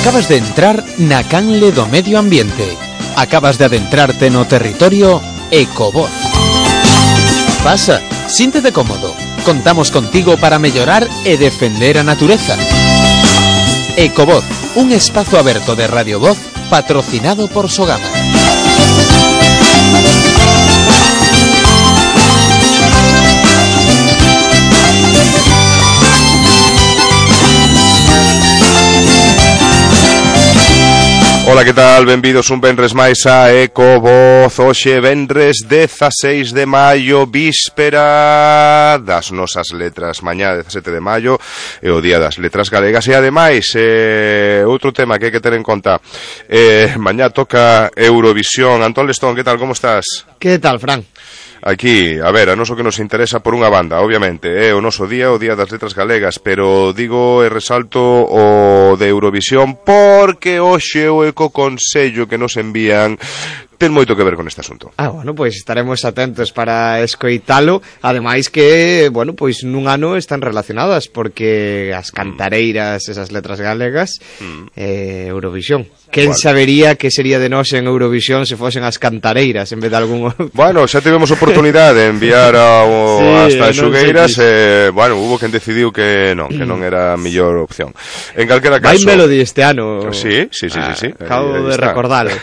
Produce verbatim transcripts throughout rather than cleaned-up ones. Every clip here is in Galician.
Acabas de entrar na canle do medio ambiente. Acabas de adentrarte no territorio Ecovoz. Pasa, síntete cómodo. Contamos contigo para mellorar e defender a natureza. Ecovoz, un espazo aberto de Radio Voz patrocinado por Sogama. Ola, que tal? Benvidos un venres máis a Ecovoz. Hoxe venres dezaseis de maio, víspera das nosas letras. Mañá dezasete de maio é o día das letras galegas. E ademais, eh, outro tema que hai que ter en conta, eh, mañá toca Eurovisión. Antón Lestón, que tal? Como estás? Que tal, Fran? Aquí, a ver, a noso que nos interesa por unha banda, obviamente, é o noso día, o día das letras galegas, pero digo e resalto o de Eurovisión porque hoxe o Ecoconsello que nos envían ten moito que ver con este asunto. Ah, bueno, pois pues estaremos atentos para escoitalo. Ademais que, bueno, pois pues nun ano están relacionadas porque as cantareiras, esas letras galegas, mm. eh, Eurovisión. Quen bueno. sabería que sería de nós en Eurovisión se fosen as cantareiras en vez de algún outro? Bueno, xa tivemos oportunidade de enviar a, o, sí, as Tanxugueiras e, eh, bueno, hubo quen decidiu que non, que non era a mellor opción. En calquera caso... Vai Melody este ano. Sí, sí, sí, ah, sí, sí. Acabo de recordalo.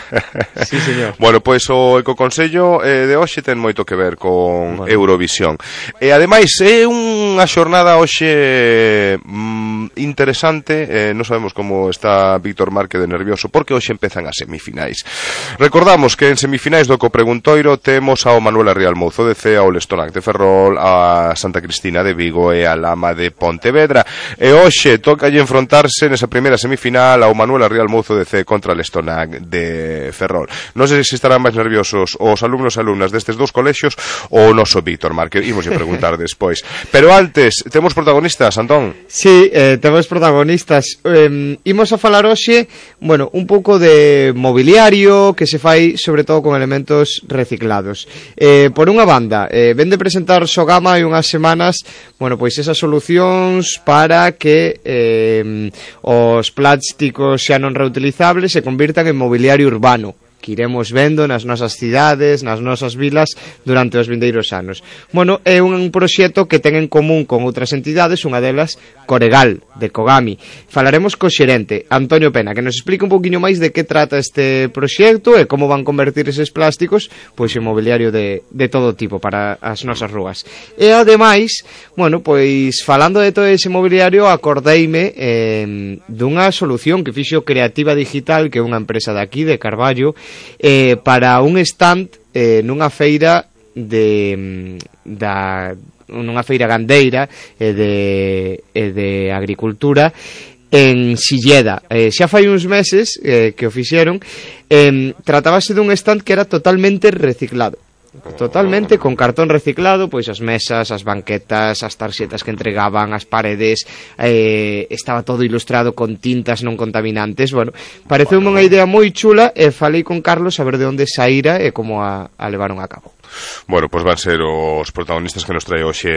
Sí, señor. Bueno, pois o Ecoconsello eh, de hoxe ten moito que ver con bueno. Eurovisión. E ademais é unha xornada hoxe mm, interesante, eh, non sabemos como está Víctor Márquez de nervioso, porque hoxe empezan as semifinais. Recordamos que en semifinais do Ecopreguntoiro temos ao Manuela Rial Mouzo de C, ao Lestonac de Ferrol, a Santa Cristina de Vigo e a Lama de Pontevedra. E hoxe toca enfrontarse nesa primeira semifinal ao Manuela Rial Mouzo de C contra Lestonac de Ferrol. Non sei se estarán máis nerviosos os alumnos e alumnas destes dous colexios ou o noso Víctor Márquez. Imos a preguntar despois. Pero antes, temos protagonistas, Antón? Sí, eh, temos protagonistas. Eh, imos a falar hoxe, bueno, un pouco de mobiliario que se fai sobre todo con elementos reciclados. Eh, por unha banda, eh, ven de presentar Sogama hai unhas semanas, bueno, pois esas solucións para que eh, os plásticos xa non reutilizables se convirtan en mobiliario urbano, que iremos vendo nas nosas cidades, nas nosas vilas durante os vindeiros anos. Bueno, é un proxecto que ten en común con outras entidades, unha delas Coregal, de Kogami. Falaremos co xerente, Antonio Pena, que nos explica un poquinho máis de que trata este proxecto e como van convertir eses plásticos pois en mobiliario de, de todo tipo para as nosas rúas. E ademais, bueno, pois falando de todo ese mobiliario, acordeime eh, dunha solución que fixo Creativa Digital, que é unha empresa de aquí, de Carballo, Eh, para un stand eh, nunha feira de da nunha feira gandeira e eh, de, eh, de agricultura en Silleda. Eh, xa fai uns meses eh, que o fixeron. Eh, tratábase dun stand que era totalmente reciclado. Totalmente con cartón reciclado, pois as mesas, as banquetas, as tarxetas que entregaban, as paredes, eh, estaba todo ilustrado con tintas non contaminantes. Bueno, pareceume unha idea moi chula e falei con Carlos a ver de onde saíra e como a, a levaron a cabo. Bueno, pois van ser os protagonistas que nos trae hoxe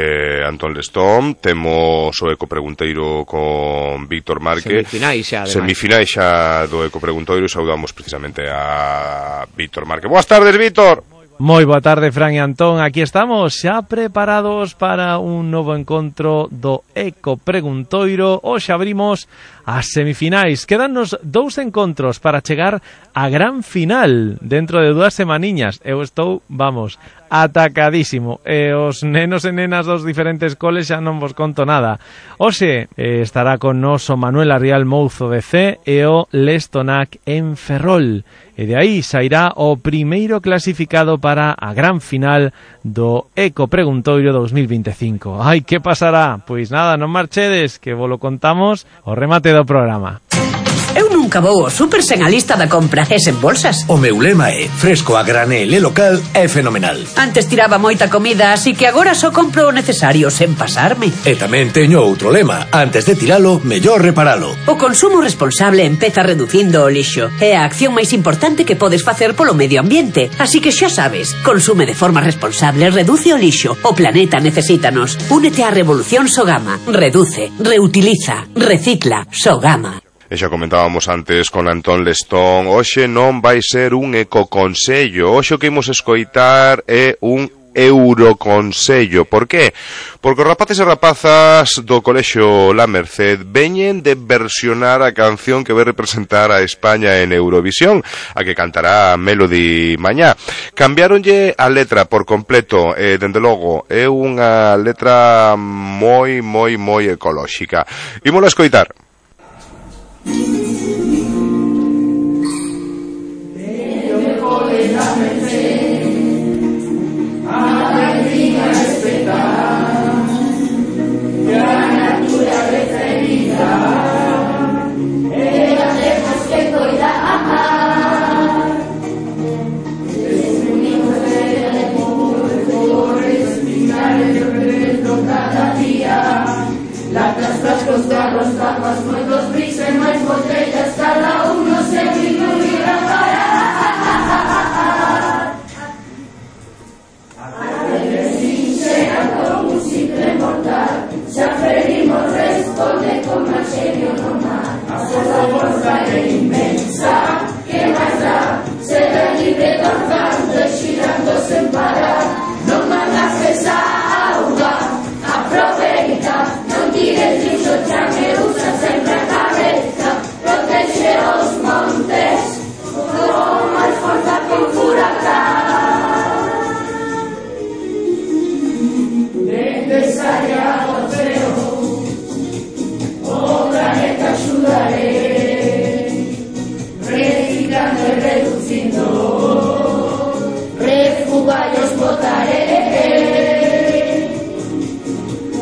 Antón Lestón. Temos o Ecopregunteiro con Víctor Márquez. Semifinais xa, ademais. Semifinais xa do Ecopregunteiro e saudamos precisamente a Víctor Márquez. Boas tardes, Víctor. Moi boa tarde, Fran e Antón. Aquí estamos xa preparados para un novo encontro do Ecopreguntoiro. Hoxe abrimos as semifinais. Quedannos dous encontros para chegar á gran final dentro de dúas semaniñas. Eu estou, vamos, atacadísimo. E os nenos e nenas dos diferentes coles xa non vos conto nada. Hoxe eh, estará con nos o Manuela Rial Mouzo de C e o Lestonac en Ferrol. E de aí sairá o primeiro clasificado para a gran final do Ecopreguntoiro dos mil veinticinco. Ai, que pasará? Pois nada, non marchedes, que vos lo contamos o remate do programa. Eu nunca vou ao super sen a lista da compra e sen bolsas. O meu lema é fresco a granel e local é fenomenal. Antes tiraba moita comida, así que agora só compro o necesario sen pasarme. E tamén teño outro lema, antes de tiralo, mellor reparalo. O consumo responsable empeza reducindo o lixo. É a acción máis importante que podes facer polo medio ambiente. Así que xa sabes, consume de forma responsable, reduce o lixo. O planeta necesítanos. Únete á revolución Sogama. Reduce, reutiliza, recicla. Sogama. E xa comentábamos antes con Antón Lestón, hoxe non vai ser un ecoconsello, hoxe o que imos escoitar é un Euroconsello. Por qué? Porque os rapaces e rapazas do Colexio La Merced veñen de versionar a canción que vai representar a España en Eurovisión, a que cantará Melody mañá. Cambiaronlle a letra por completo, e dende logo é unha letra moi, moi, moi ecolóxica. Ímola escoitar. Latas, frascos, garros, tapas, moitos bris e máis botellas, cada uno se incluirá para a que sincera como un simple mortal, xa ferimos responde con máis genio no mar. A forza forza é inmensa, que máis dá, será libre danzando e xirando sen parar, non mandas esa auga, aproveita. Tires lixo, xa me usa sempre a cabeza, protege os montes, con máis forza que un furacán. Necesaria o ceo, o planeta axudaré, reciclando e reducindo, refugallos botaré.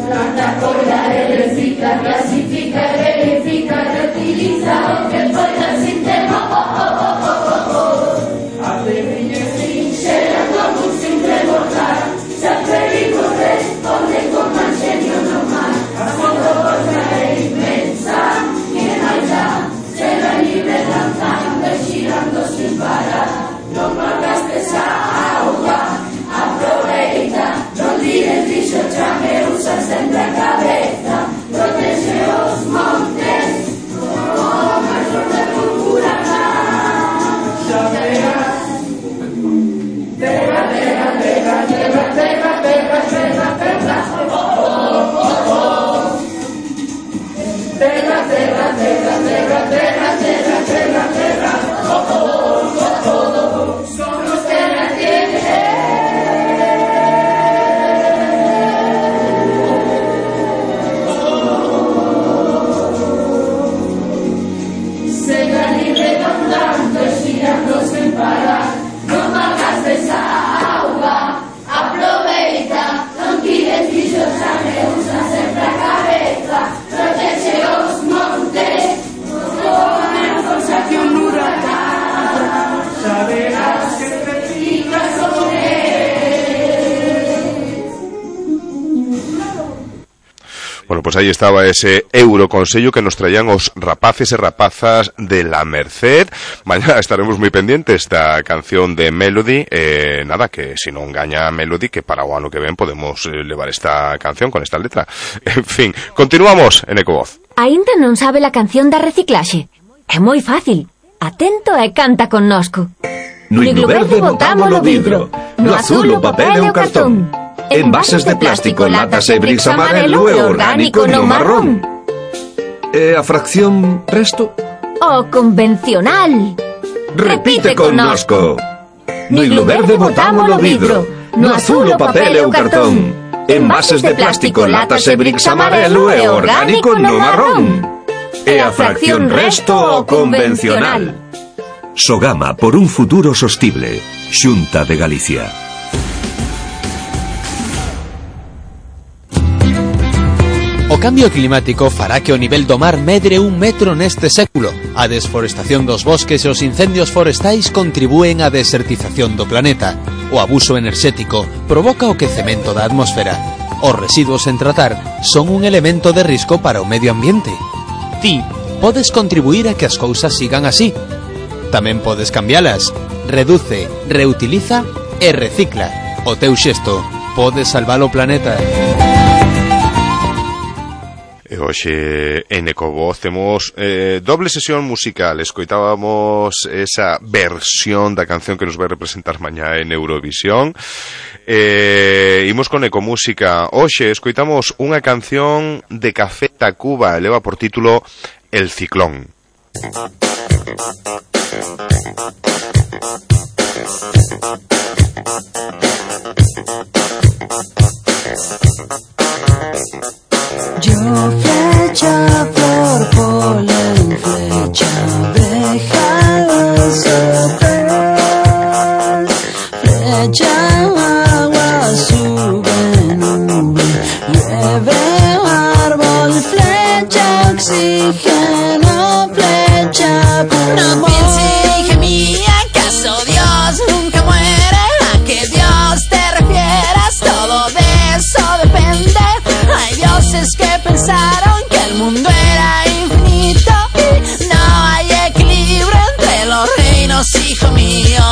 Planta, collar, recicla, clasifica, verifica, reutiliza, o que poida sin tema, oh, oh, oh, oh, oh, oh. A pequeña sincera como un simple mortal, xa perigo responde con máis genio no mar. A foto bolsa é inmensa, que máis dá, será libre danzando e xirando sin parar. Non malgastes a auga, aproveita, non tires lixo, xa me usa sempre a cabeza, protege os montes, como máis forte que un furacán. Xa verás, terra, terra, terra, terra, terra, terra, terra, terra, oh, oh, oh, oh. Terra, terra, terra, terra, terra, terra, terra, terra, oh, oh, oh, oh. Somos terra que sen parar, non malgastes a auga, aproveita, non tires lixo, xa me usa sempre a cabeza, protege os montes, con máis forza que un huracán, saberás que reciclas o que. Bueno, pues aí estaba ese Euroconsello que nos traían os rapaces e rapazas de La Merced. Mañá estaremos moi pendientes da canción de Melody. Eh, nada, que se non gaña Melody, que para o ano que ven podemos eh, levar esta canción con esta letra. En fin, continuamos en Ecovoz. Aínda non sabe la canción da reciclaxe? É moi fácil. Atento e canta connosco. No iglo verde botamos o vidro, no azul o papel e o cartón. Envases de plástico, latas e bricks amarelo e orgánico no marrón. E a fracción resto? O convencional. Repite connosco. No iglo verde botamos o vidro, no azul o papel e o cartón. Envases de plástico, latas e bricks amarelo e orgánico no marrón. E a fracción resto o convencional. Sogama por un futuro sostible. Xunta de Galicia. O cambio climático fará que o nivel do mar medre un metro neste século. A desforestación dos bosques e os incendios forestais contribúen á desertización do planeta. O abuso enerxético provoca o quecemento da atmosfera. Os residuos sen tratar son un elemento de risco para o medio ambiente. Ti podes contribuir a que as cousas sigan así. Tamén podes cambialas. Reduce, reutiliza e recicla. O teu xesto pode salvar o planeta. E hoxe en Ecovoz temos eh, doble sesión musical. Escoitábamos esa versión da canción que nos vai representar mañá en Eurovisión. Eh, imos con Ecomúsica. Hoxe escoitamos unha canción de Café Tacuba, eleva por título El Ciclón. Yo flecha, flor, polen, flecha, abeja, azúcar, flecha, agua, sube, nube, nieve, árbol, flecha, oxígeno, flecha, pulmón. No piense, hija mía, ¿acaso Dios nunca muere? ¿A qué Dios te refieres? Todo de eso depende. Hay dioses que pensaron que el mundo era infinito y no hay equilibrio entre los reinos, hijo mío.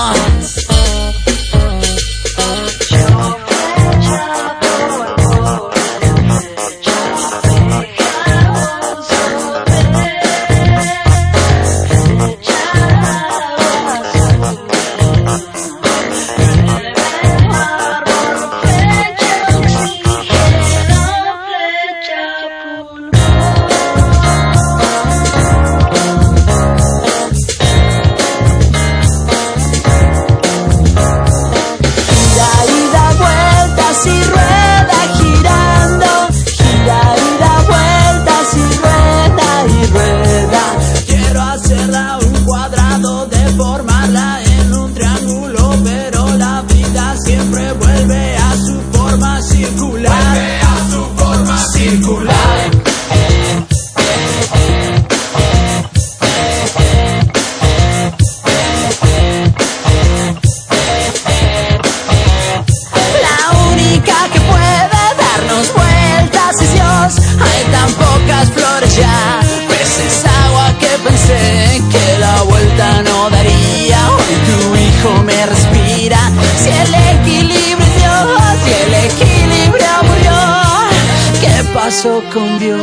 Con Dios.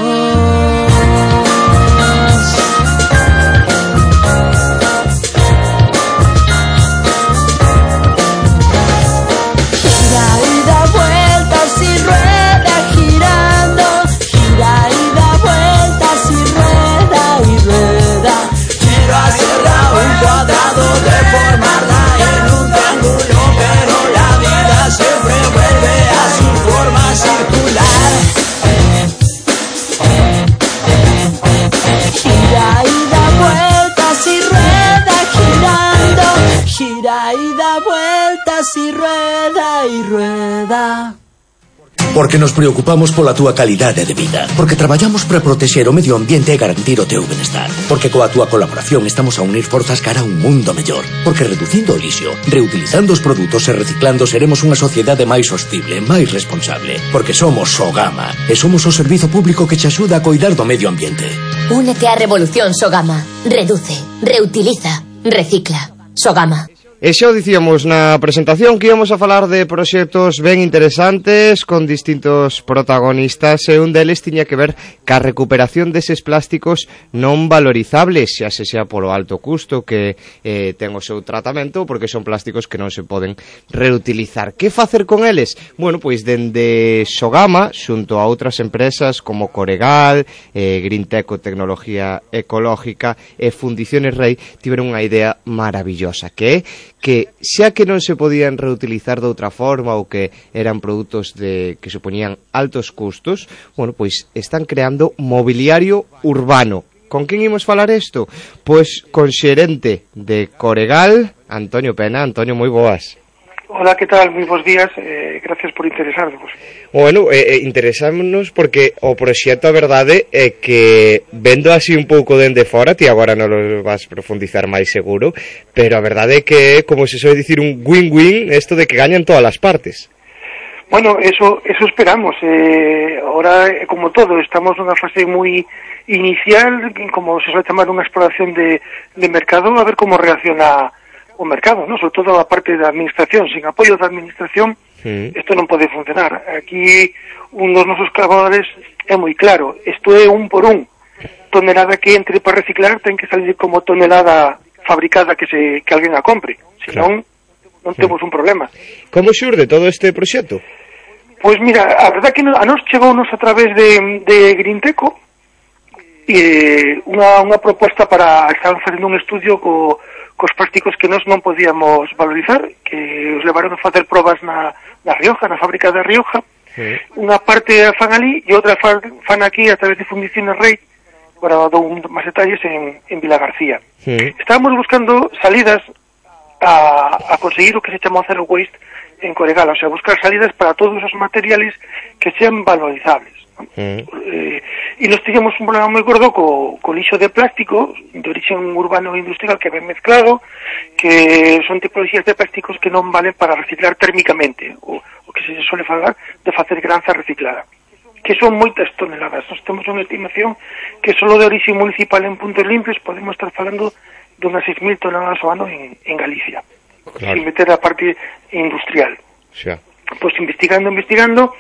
Gira y da vueltas y rueda girando, gira y da vueltas y rueda y rueda. Quiero hacerla un cuadrado, deformarla en un triángulo, pero la vida siempre vuelve a su forma circular. Gira y da vueltas y rueda girando, gira y da vueltas y rueda y rueda. Porque nos preocupamos pola túa calidade de vida. Porque traballamos para protexer o medio ambiente e garantir o teu benestar. Porque coa túa colaboración estamos a unir forzas cara a un mundo mellor. Porque reducindo o lixo, reutilizando os produtos e reciclando seremos unha sociedade máis sostible, máis responsable. Porque somos Sogama e somos o servizo público que te axuda a coidar do medio ambiente. Únete á revolución Sogama. Reduce, reutiliza, recicla. Sogama. E xa o dicíamos na presentación que íbamos a falar de proxectos ben interesantes con distintos protagonistas e un deles tiña que ver ca recuperación deses plásticos non valorizables, xa se xa polo alto custo que eh, ten o seu tratamento, porque son plásticos que non se poden reutilizar. Que facer con eles? Bueno, pois dende Sogama, xunto a outras empresas como Coregal, eh, Greenteco Tecnología Ecológica e Fundiciones Rei, tiveron unha idea maravillosa, que é que xa que non se podían reutilizar de outra forma ou que eran produtos de que supoñían altos custos, bueno, pois están creando mobiliario urbano. Con quen imos falar isto? Pois con xerente de Coregal, Antonio Pena. Antonio, moi boas. Hola, que tal? Moi bons días, eh, gracias por interesarnos. Bueno, eh, eh, interesámonos porque o proxecto, a verdade, é que vendo así un pouco dende fora, ti agora non lo vas profundizar máis seguro, pero a verdade é que é, como se soe dicir, un win-win, isto de que gañan todas as partes. Bueno, eso eso esperamos. Eh, ahora, como todo, estamos nunha fase moi inicial, como se suele chamar unha exploración de, de mercado, a ver como reacciona o mercado, ¿no? Sobre todo a parte da administración. Sin apoio da administración Mm. Isto non pode funcionar. Aquí un dos nosos colaboradores é moi claro, isto é un por un. Tonelada que entre para reciclar ten que salir como tonelada fabricada que se que alguén a compre. Senón, claro, non temos un problema. Como xurde todo este proxecto? Pois mira, a verdad que a nos chegounos a través de, de Grinteco e unha, unha proposta para estar facendo un estudio co, cos plásticos que nós non podíamos valorizar, que os levaron a facer probas na, na Rioja, na fábrica da Rioja. Sí. Unha parte a fan ali e outra fan, fan aquí a través de Fundiciones Rey. Agora dou máis detalles en, en Vila García. Sí. Estábamos buscando salidas a, a conseguir o que se chama zero waste en Coregal, o sea, buscar salidas para todos os materiales que sean valorizables, ¿no? Mm. Eh, e nos teníamos un problema moi gordo co, co lixo de plástico de origen urbano e industrial que ven mezclado, que son tipologías de plásticos que non valen para reciclar térmicamente, o, o que se suele falar de facer granza reciclada, que son moitas toneladas. Nos temos unha estimación que solo de origen municipal en puntos limpios podemos estar falando de unhas seis mil toneladas ao ano en, en Galicia, claro, sin meter a parte industrial. Xa. Pois investigando, investigando,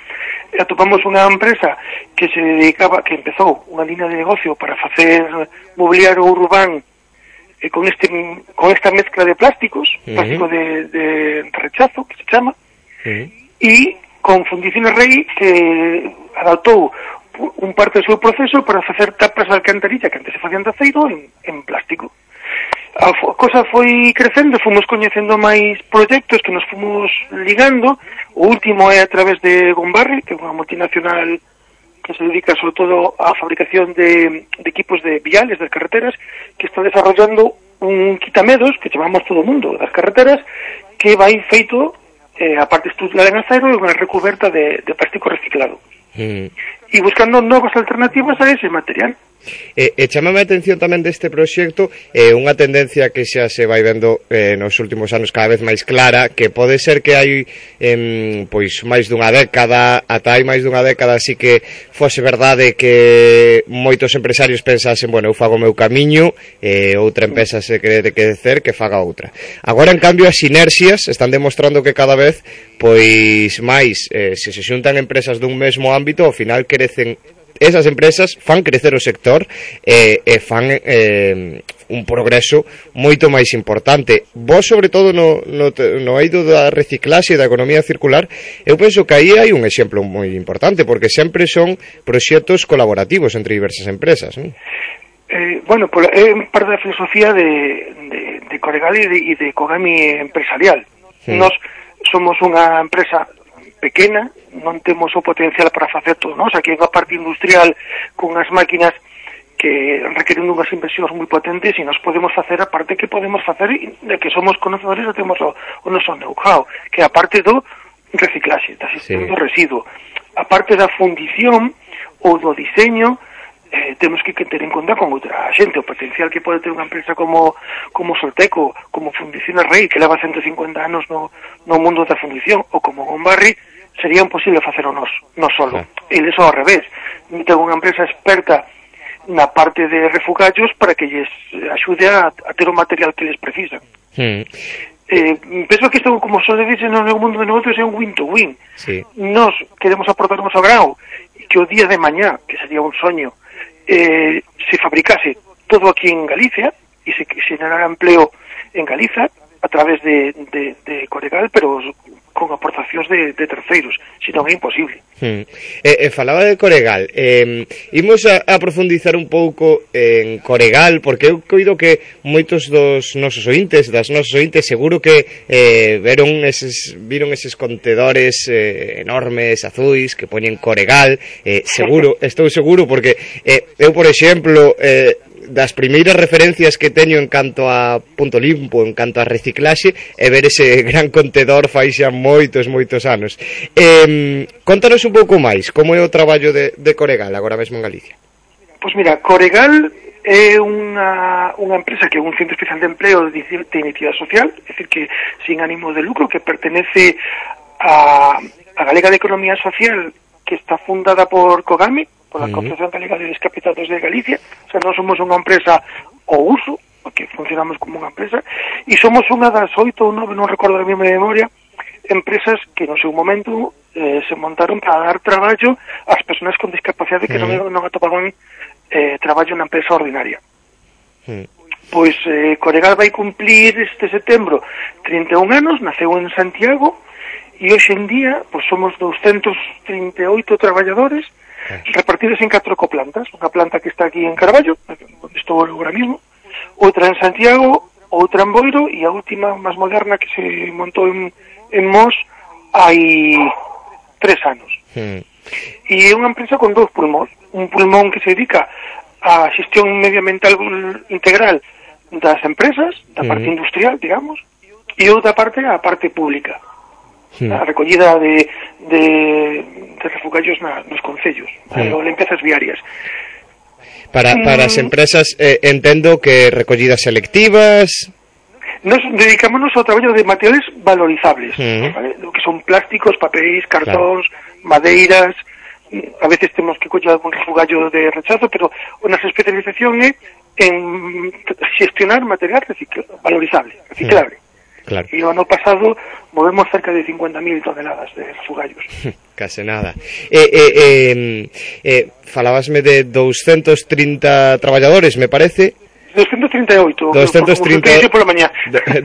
atopamos unha empresa que se dedicaba, que empezou unha línea de negocio para facer mobiliario urbán eh, con este con esta mezcla de plásticos, uh-huh. plástico de, de rechazo, que se chama, uh-huh. e con Fundiciones Rey, que adaptou un parte do seu proceso para facer tapas de alcantarilla que antes se facían de aceiro en, en plástico. A cosa foi crecendo, fomos coñecendo máis proxectos que nos fomos ligando. O último é a través de Gombarri, que é unha multinacional que se dedica sobre todo á fabricación de, de equipos de viales das carreteras, que está desarrollando un quitamedos que chamamos todo o mundo das carreteras, que vai feito eh, a parte estrutural en acero e unha recuberta de, de plástico reciclado. Mm. E buscando novas alternativas a ese material. E, e chamame a atención tamén deste proxecto eh, unha tendencia que xa se vai vendo eh, nos últimos anos cada vez máis clara, que pode ser que hai eh, pois máis dunha década, ata hai máis dunha década, así que fose verdade que moitos empresarios pensasen, bueno, eu fago o meu camiño, e eh, outra empresa se quere que decer que faga outra. Agora, en cambio, as sinerxias están demostrando que cada vez pois máis, eh, se se xuntan empresas dun mesmo ámbito, ao final crecen esas empresas, fan crecer o sector e, e fan eh, un progreso moito máis importante. Vos, sobre todo, no, no, no eido da reciclaxe e da economía circular, eu penso que aí hai un exemplo moi importante, porque sempre son proxectos colaborativos entre diversas empresas, non? Eh, bueno, pues, é parte da filosofía de, de, de Coregal e de, e de Kogami empresarial. Hmm. Nos somos unha empresa pequena, non temos o potencial para facer todo, non? O sea, que hai unha parte industrial con as máquinas que requeren unhas inversións moi potentes e nos podemos facer a parte que podemos facer de que somos conocedores e temos o, o noso know-how, que é a parte do reciclaxe, da xestión sí. do residuo. A parte da fundición ou do diseño, eh, temos que ter en conta con outra xente, o potencial que pode ter unha empresa como como Solteco, como Fundiciones Rey, que leva ciento cincuenta anos no, no mundo da fundición, ou como Gombarri, sería imposible facer o nos, no solo. Sí. Eles ao revés. Ten unha empresa experta na parte de refugallos para que lles axude a, a ter o material que les precisan. Mm. Eh, penso que isto, como só le dice no mundo de negocios, é un win-to-win. Sí. Nos queremos aportar o noso grau que o día de mañá, que sería un soño, eh, se fabricase todo aquí en Galicia e se generara empleo en Galiza a través de, de, de Coregal, pero con aportacións de, de terceiros, senón é imposible. Hmm. Eh, eh, falaba de Coregal, eh, imos a, a profundizar un pouco en Coregal, porque eu coido que moitos dos nosos ointes, das nosos ointes, seguro que eh, veron eses, viron eses contedores eh, enormes, azuis, que poñen Coregal, eh, seguro, estou seguro, porque eh, eu, por exemplo, eh, das primeiras referencias que teño en canto a punto limpo, en canto a reciclaxe, é ver ese gran contedor fai xa moitos, moitos anos. Eh, contanos un pouco máis, como é o traballo de, de Coregal agora mesmo en Galicia? Pois mira, Coregal é unha, unha empresa que é un centro especial de empleo de, de iniciativa social, é dicir, que sin ánimo de lucro, que pertenece a, a Galega de Economía Social, que está fundada por Kogami, por la Confederación Galega de Discapacitados de Galicia. O sea, non somos unha empresa ao uso, porque funcionamos como unha empresa, e somos unha das oito ou nove, non recordo a mesma memoria, empresas que no seu momento eh, se montaron para dar traballo ás persoas con discapacidade que mm. non, non atopaban eh, traballo na empresa ordinaria. Mm. Pois eh, Coregal vai cumplir este setembro trinta e un anos, naceu en Santiago, e hoxe en día pois somos doscientos trinta e oito traballadores repartidos en catro ecoplantas, unha planta que está aquí en Carballo, onde estou agora mismo, outra en Santiago, outra en Boiro, e a última, máis moderna, que se montou en, en Mos hai tres anos. Hmm. E é unha empresa con dous pulmóns, un pulmón que se dedica á xestión medioambiental integral das empresas, da parte hmm. industrial, digamos, e outra parte a parte pública. Sí. A recollida de, de, de refugallos na, nos concellos, sí. ou limpiezas viarias. Para, para as empresas, eh, entendo que recollidas selectivas... Nos dedicámonos ao traballo de materiales valorizables, sí. ¿vale? Lo que son plásticos, papéis, cartóns, claro. madeiras... A veces temos que coller algún refugallo de rechazo, pero a nosa especialización é en xestionar material recicl- valorizable, reciclable. Sí. Claro. E o ano pasado movemos cerca de cincuenta mil toneladas de refugallos. Case nada. Eh, eh, eh, eh, falabasme de doscientos trinta traballadores, me parece. doscientos trinta e oito. doscientos trinta, por la mañá.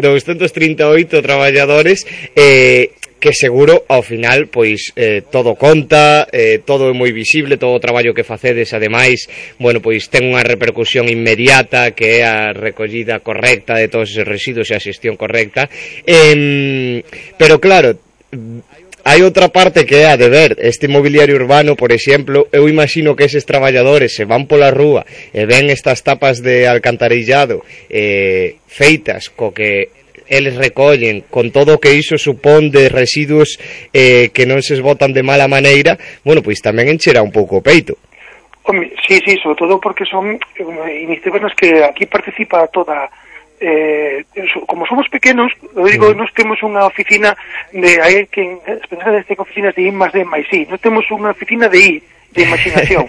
doscientos trinta e oito traballadores eh, que seguro ao final pois eh, todo conta, eh, todo é moi visible, todo o traballo que facedes ademais, bueno, pois ten unha repercusión inmediata que é a recollida correcta de todos esos residuos e a xestión correcta, eh, pero claro, hai outra parte que é a de ver este mobiliario urbano, por exemplo. Eu imagino que eses traballadores se van pola rúa e ven estas tapas de alcantarillado eh, feitas co que eles recollen, con todo o que iso supón de residuos eh, que non se esbotan de mala maneira, bueno, pois tamén encherá un pouco o peito. Home, sí, sí, sobre todo porque son eh, iniciativas nas que aquí participa toda... Eh, como somos pequenos, eu digo, mm. nós temos unha oficina de aí que as persoas de oficinas de I más D máis I, nós temos unha oficina de I, de imaginación.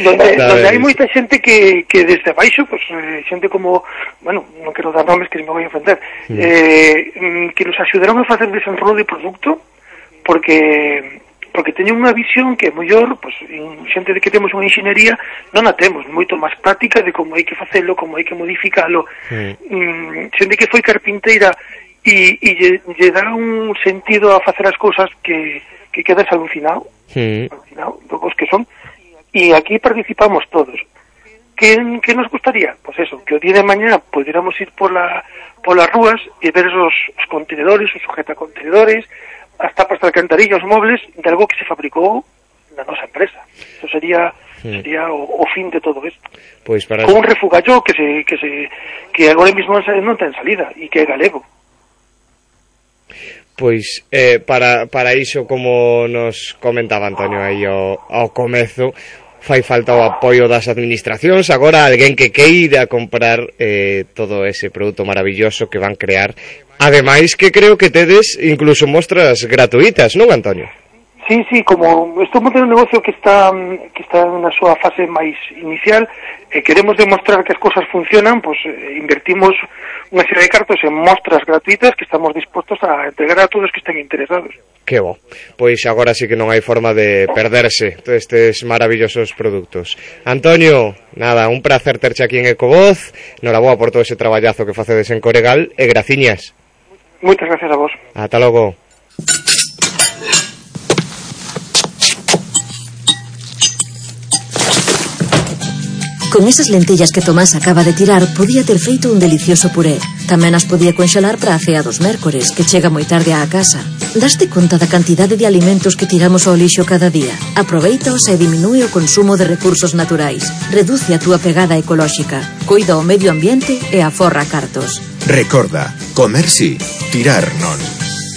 donde, donde hai moita xente que, que desde baixo, pues, eh, xente como, bueno, non quero dar nomes que me vou a ofender, mm. eh, que nos axudaron a facer desenrolo de produto, porque porque teñen unha visión que é mellor, pues, xente de que temos unha enxeñería non a temos, moito máis práctica de como hai que facelo, como hai que modificalo. Mm. Mm, xente que foi carpinteira e, e lle, lle dá un sentido a facer as cousas que, que quedas alucinado, mm. alucinado dos que son, e aquí participamos todos. Que, que nos gustaría? Pois pues eso, que o día de mañá pudiéramos ir pola, polas rúas e ver os, os contenedores, os sujetacontenedores, as tapas de alcantarilla, os mobles de algo que se fabricou na nosa empresa. Eso sería mm. sería o, o fin de todo isto. Pois para con un refugallo que se que se que agora mesmo non ten salida e que é galego. Pois eh, para, para iso, como nos comentaba Antonio aí ao, ao comezo, fai falta o apoio das administracións, agora alguén que queira comprar eh, todo ese produto maravilloso que van crear. Ademais que creo que tedes incluso mostras gratuitas, non, Antonio? Sí, sí, como estamos en un negocio que está que está na súa fase máis inicial, e eh, queremos demostrar que as cosas funcionan, pois eh, invertimos unha serie de cartos en mostras gratuitas que estamos dispostos a entregar a todos que estén interesados. Que bo, pois agora sí que non hai forma de perderse todos estes maravillosos produtos. Antonio, nada, un placer terche aquí en Ecovoz, noraboa por todo ese traballazo que facedes en Coregal, e graciñas. Moitas gracias a vos. Ata logo. Con esas lentillas que Tomás acaba de tirar, podía ter feito un delicioso puré. Tamén as podía conxelar para a cea dos mércores, que chega moi tarde á casa. Daste conta da cantidade de alimentos que tiramos ao lixo cada día? Aproveitaos e diminúe o consumo de recursos naturais. Reduce a túa pegada ecolóxica. Coida o medio ambiente e aforra cartos. Recorda, comer si, tirar non.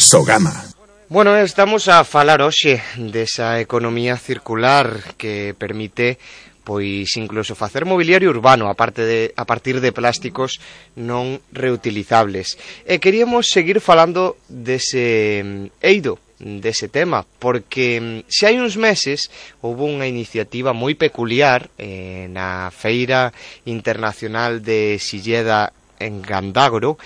Sogama. Bueno, estamos a falar hoxe desa economía circular que permite pois incluso facer mobiliario urbano a, parte de, a partir de plásticos non reutilizables. E queríamos seguir falando dese eido, dese tema, porque se hai uns meses houve unha iniciativa moi peculiar eh, na Feira Internacional de Silleda en Gandagro,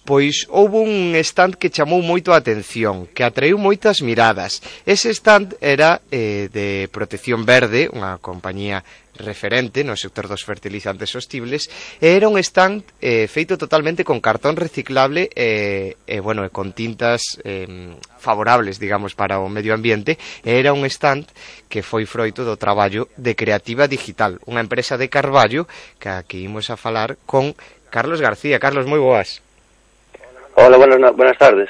pois houve un stand que chamou moito a atención, que atraiu moitas miradas. Ese stand era eh, de Protección Verde, unha compañía referente no sector dos fertilizantes sostibles, e era un stand eh, feito totalmente con cartón reciclable e, eh, eh, bueno, e con tintas eh, favorables, digamos, para o medio ambiente. E era un stand que foi froito do traballo de Creativa Digital, unha empresa de Carballo que aquí imos a falar con Carlos García. Carlos, moi boas. Hola, buenas, buenas tardes.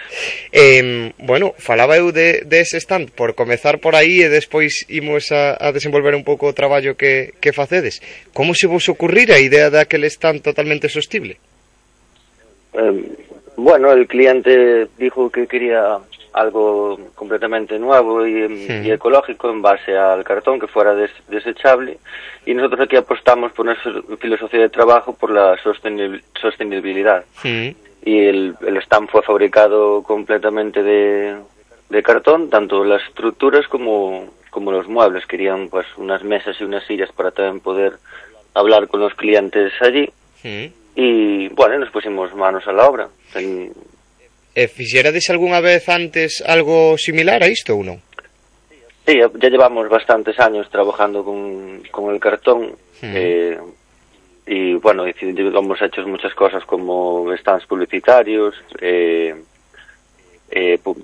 Eh, bueno, falaba eu de, de ese stand por comezar por aí e despois imos a, a desenvolver un pouco o traballo que, que facedes. Como se vos ocurrir a idea daquele stand totalmente sostible? Eh, bueno, el cliente dijo que quería algo completamente nuevo y, sí. y ecológico en base al cartón, que fuera des, desechable, y nosotros aquí apostamos por nuestra filosofía de trabajo por la sostenibil, sostenibilidad. Sí. Y el, el stand fue fabricado completamente de, de cartón, tanto las estructuras como, como los muebles. Querían pues unas mesas y unas sillas para también poder hablar con los clientes allí. Sí. Y bueno, nos pusimos manos a la obra. En... E fixerades algunha vez antes algo similar a isto ou non? Sí, ya llevamos bastantes años trabajando con, con el cartón. Sí. Eh, y bueno, hemos hecho muchas cosas como stands publicitarios, eh, eh, pu sí.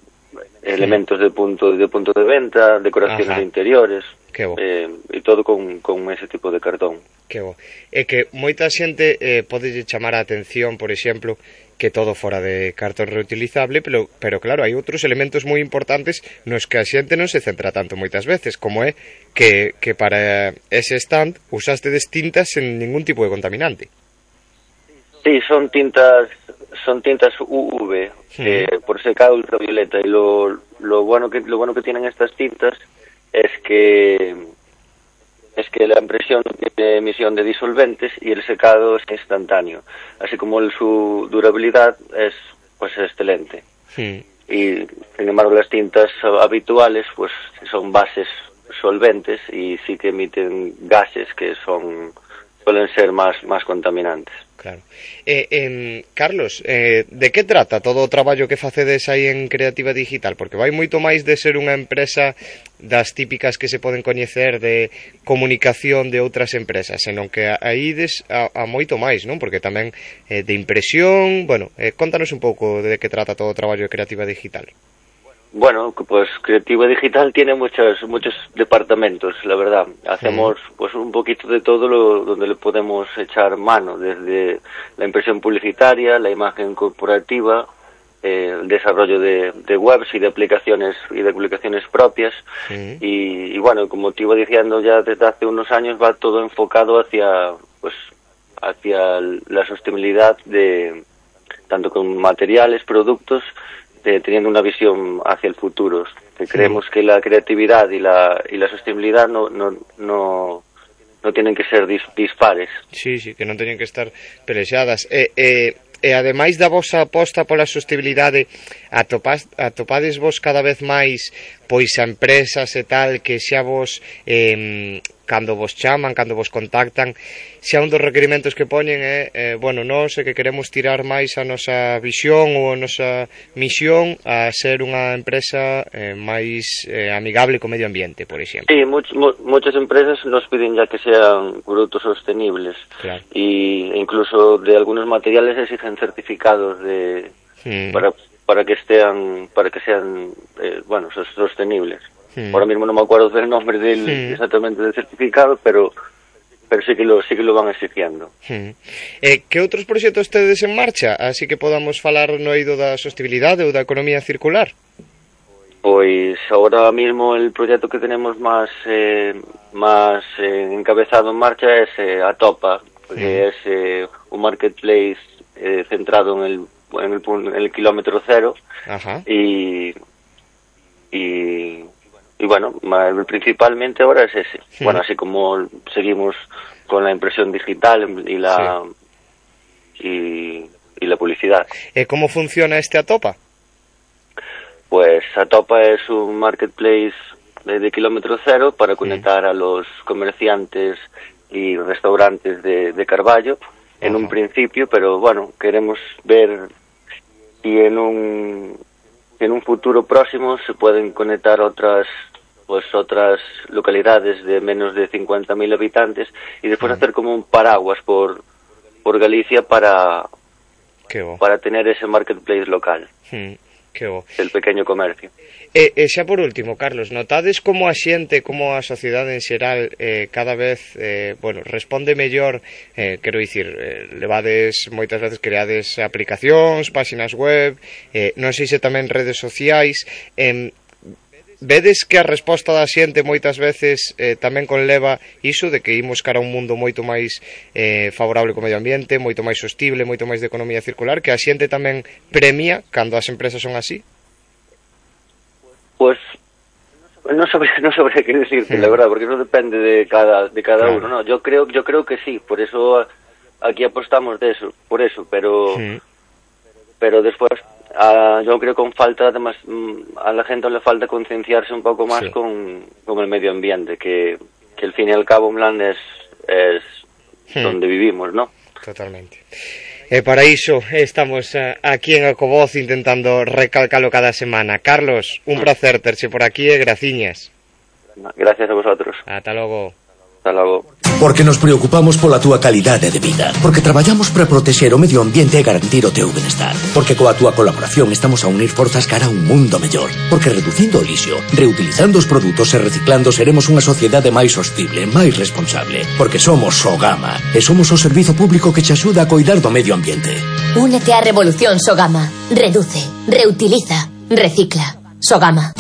elementos de punto de punto de venta, decoraciones de interiores, eh, y todo con, con ese tipo de cartón. Que bo. É que moita xente eh, pode chamar a atención, por exemplo, que todo fora de cartón reutilizable, pero, pero claro, hai outros elementos moi importantes nos que a xente non se centra tanto moitas veces, como é que, que para ese stand usastedes tintas sen ningún tipo de contaminante. Sí, son tintas son tintas U V, sí. eh, por secado ultravioleta, y lo, lo, bueno que, lo bueno que tienen estas tintas es que es que la impresión tiene emisión de disolventes y el secado es instantáneo, así como el, su durabilidad es pues excelente. Sí. Y sin embargo las tintas habituales pues son bases solventes y sí que emiten gases que son suelen ser más más contaminantes. Claro. Eh, eh, Carlos, eh, de que trata todo o traballo que facedes aí en Creativa Digital? Porque vai moito máis de ser unha empresa das típicas que se poden coñecer de comunicación de outras empresas, senón que aí des a, a moito máis, non? Porque tamén eh, de impresión, bueno, eh, contanos un pouco de que trata todo o traballo de Creativa Digital. Bueno, pues Creativa Digital tiene muchos muchos departamentos, la verdad. Hacemos mm. pues un poquito de todo lo donde le podemos echar mano, desde la impresión publicitaria, la imagen corporativa, eh, el desarrollo de, de webs y de aplicaciones y de aplicaciones propias. Mm. Y, y bueno, como te iba diciendo ya desde hace unos años va todo enfocado hacia pues hacia la sostenibilidad de tanto con materiales, productos, de, teniendo una visión hacia el futuro, que sí. Creemos que la creatividad y la y la sostenibilidad no no no no tienen que ser dis, dispares. Sí, sí, que non teñen que estar pelexadas. E, e, e ademais da vosa aposta pola sostenibilidade, atopas, atopades vos cada vez máis pois a empresas e tal que xa vos eh, cando vos chaman, cando vos contactan, xa un dos requerimentos que poñen é, eh, bueno, nós é que queremos tirar máis a nosa visión ou a nosa misión a ser unha empresa eh, máis eh, amigable co medio ambiente, por exemplo. Sí, much, mu muchas empresas nos piden ya que sean productos sostenibles, claro. Y incluso de algunos materiales exigen certificados de mm. para para que estén para que sean eh, bueno, sostenibles. Hmm. Ahora mismo no me acuerdo del nombre del hmm. exactamente del certificado, pero pero sí que lo sí que lo van exigiendo. Hmm. Eh, que outros proxectos tedes en marcha, así que podamos falar no eido da sostenibilidade ou da economía circular? Pois ahora mismo el proyecto que tenemos más eh, más eh, encabezado en marcha es eh, Atopa, que hmm. es eh, un marketplace eh, centrado en el en el, en el kilómetro cero. Ajá. y y y bueno, principalmente ahora es ese. Sí. Bueno, así como seguimos con la impresión digital y la sí. y, y la publicidad. ¿Y cómo funciona este Atopa? Pues Atopa es un marketplace de, de kilómetro cero para conectar sí. a los comerciantes y restaurantes de, de Carballo en Ajá. un principio, pero bueno, queremos ver y en un en un futuro próximo se pueden conectar otras pues otras localidades de menos de cincuenta mil habitantes y después hacer como un paraguas por por Galicia para para tener ese marketplace local. Hmm, que bo. El pequeño comercio. E, e xa por último, Carlos, notades como a xente, como a sociedade en xeral eh, cada vez, eh, bueno, responde mellor, eh, quero dicir, eh, levades moitas veces creades aplicacións, páxinas web, eh, non sei se tamén redes sociais, eh, vedes que a resposta da xente moitas veces eh, tamén conleva iso de que imos cara a un mundo moito máis eh, favorable co medio ambiente, moito máis sostible, moito máis de economía circular, que a xente tamén premia cando as empresas son así? Pues no sabría, no sabría qué decirte, mm. la verdad, porque eso depende de cada de cada claro. uno, ¿no? Yo creo yo creo que sí, por eso aquí apostamos de eso, por eso, pero mm. pero después Uh, yo creo que con falta, además, a la gente le falta concienciarse un poco más sí. con, con el medio ambiente, que, que al fin y al cabo Mlan es, es hmm. donde vivimos, ¿no? Totalmente. E para iso estamos uh, aquí en Ecovoz intentando recalcalo cada semana. Carlos, un placer terche por aquí e graciñas. Gracias a vosotros. Ata logo. Ata logo. Porque nos preocupamos pola túa calidade de vida. Porque traballamos para protexer o medio ambiente e garantir o teu benestar. Porque coa túa colaboración estamos a unir forzas cara a un mundo mellor. Porque reducindo o lixo, reutilizando os produtos e reciclando seremos unha sociedade máis sostible, máis responsable. Porque somos Sogama e somos o servizo público que te axuda a coidar do medio ambiente. Únete á revolución Sogama. Reduce, reutiliza, recicla. Sogama.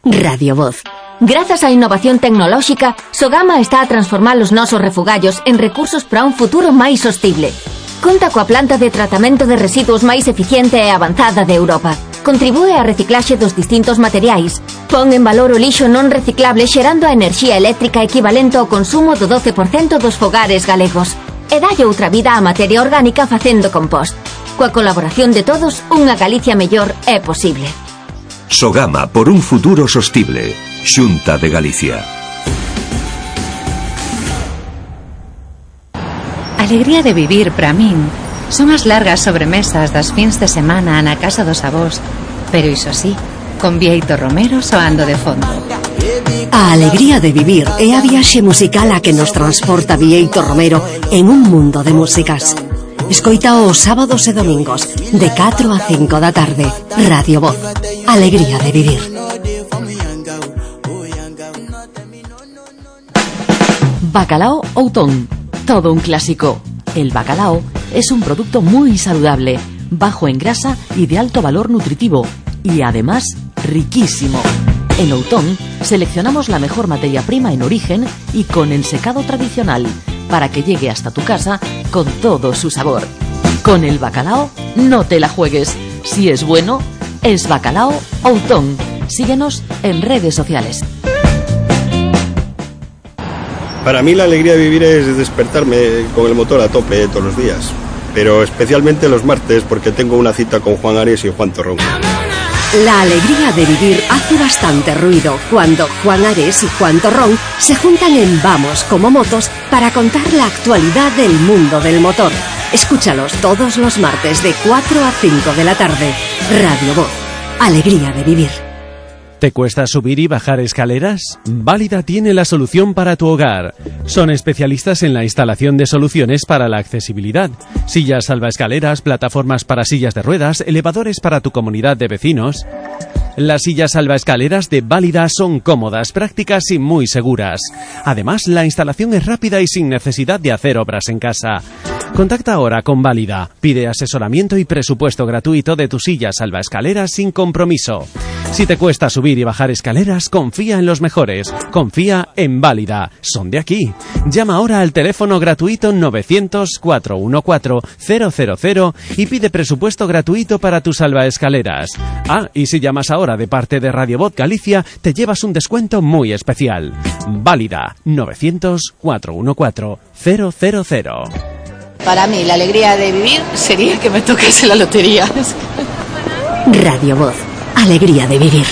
Radio Voz. Grazas á innovación tecnolóxica, Sogama está a transformar os nosos refugallos en recursos para un futuro máis sostible. Conta coa planta de tratamento de residuos máis eficiente e avanzada de Europa. Contribúe á reciclaxe dos distintos materiais. Pon en valor o lixo non reciclable xerando a enerxía eléctrica equivalente ao consumo do doce por cento dos fogares galegos. E dalle outra vida á materia orgánica facendo compost. Coa colaboración de todos, unha Galicia mellor é posible. Sogama por un futuro sostible. Xunta de Galicia. Alegría de vivir para min son as largas sobremesas das fins de semana na casa dos avós, pero iso sí, con Bieito Romero soando de fondo. A alegría de vivir é a viaxe musical a que nos transporta Bieito Romero en un mundo de músicas. Escoita os sábados e domingos de catro a cinco da tarde. Radio Voz. Alegría de vivir. Bacalao Outón. Todo un clásico. El bacalao es un producto muy saludable, bajo en grasa y de alto valor nutritivo, y además riquísimo. En Outón seleccionamos la mejor materia prima en origen y con el secado tradicional, para que llegue hasta tu casa con todo su sabor. Con el bacalao no te la juegues. Si es bueno, es Bacalao Outón. Síguenos en redes sociales. Para mí la alegría de vivir es despertarme con el motor a tope todos los días, pero especialmente los martes porque tengo una cita con Juan Ares y Juan Torrón. La alegría de vivir hace bastante ruido cuando Juan Ares y Juan Torrón se juntan en Vamos como Motos para contar la actualidad del mundo del motor. Escúchalos todos los martes de cuatro a cinco de la tarde. Radio Voz. Alegría de vivir. ¿Te cuesta subir y bajar escaleras? Válida tiene la solución para tu hogar. Son especialistas en la instalación de soluciones para la accesibilidad. Sillas salvaescaleras, plataformas para sillas de ruedas, elevadores para tu comunidad de vecinos. Las sillas salvaescaleras de Válida son cómodas, prácticas y muy seguras. Además, la instalación es rápida y sin necesidad de hacer obras en casa. Contacta ahora con Válida. Pide asesoramiento y presupuesto gratuito de tu silla salvaescaleras sin compromiso. Si te cuesta subir y bajar escaleras, confía en los mejores. Confía en Válida. Son de aquí. Llama ahora al teléfono gratuito novecientos, cuatrocientos catorce, cero cero cero y pide presupuesto gratuito para tu salvaescaleras. Ah, y si llamas ahora de parte de Radio Voz Galicia, te llevas un descuento muy especial. Válida. novecientos, cuatrocientos catorce, cero cero cero. Para mí, la alegría de vivir sería que me tocase la lotería. Radio Voz. Alegría de vivir.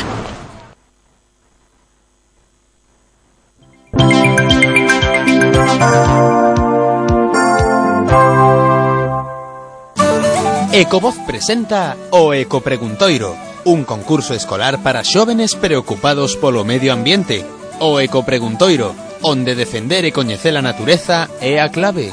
Ecovoz presenta o Ecopreguntoiro, un concurso escolar para xóvenes preocupados polo medio ambiente. O Ecopreguntoiro, onde defender e coñecer a natureza é a clave.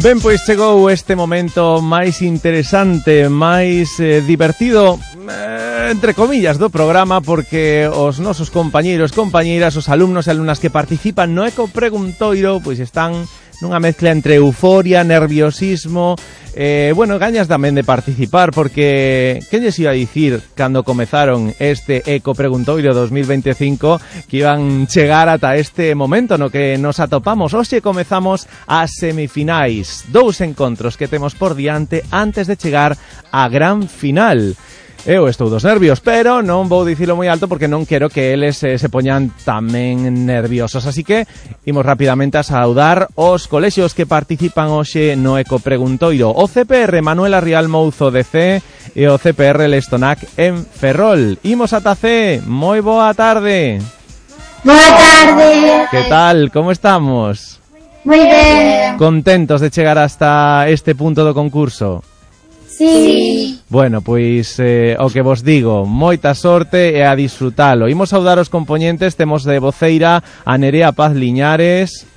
Ben, pois chegou este momento máis interesante, máis eh, divertido, eh, entre comillas, do programa, porque os nosos compañeiros, compañeiras, os alumnos e alumnas que participan no Ecopreguntoiro, pois están nunha mezcla entre euforia, nerviosismo, eh, bueno, gañas tamén de participar, porque que lles iba a dicir cando comezaron este Ecopreguntoiro dos mil veinticinco que iban chegar ata este momento no que nos atopamos. Hoxe comezamos as semifinais, dous encontros que temos por diante antes de chegar á gran final. Eu estou dos nervios, pero non vou dicilo moi alto porque non quero que eles eh, se poñan tamén nerviosos. Así que imos rapidamente a saudar os colexios que participan hoxe no Ecopreguntoiro. O C P R Manuela Rial Mouzo de C e o C P R Lestonac en Ferrol. Imos ata C. Moi boa tarde. Boa tarde. Que tal? Como estamos? Moi ben. Contentos de chegar hasta este punto do concurso? Sí. Bueno, pois eh, o que vos digo, moita sorte e a disfrutalo. Imos saudar os componentes, temos de voceira a Nerea Paz Liñares,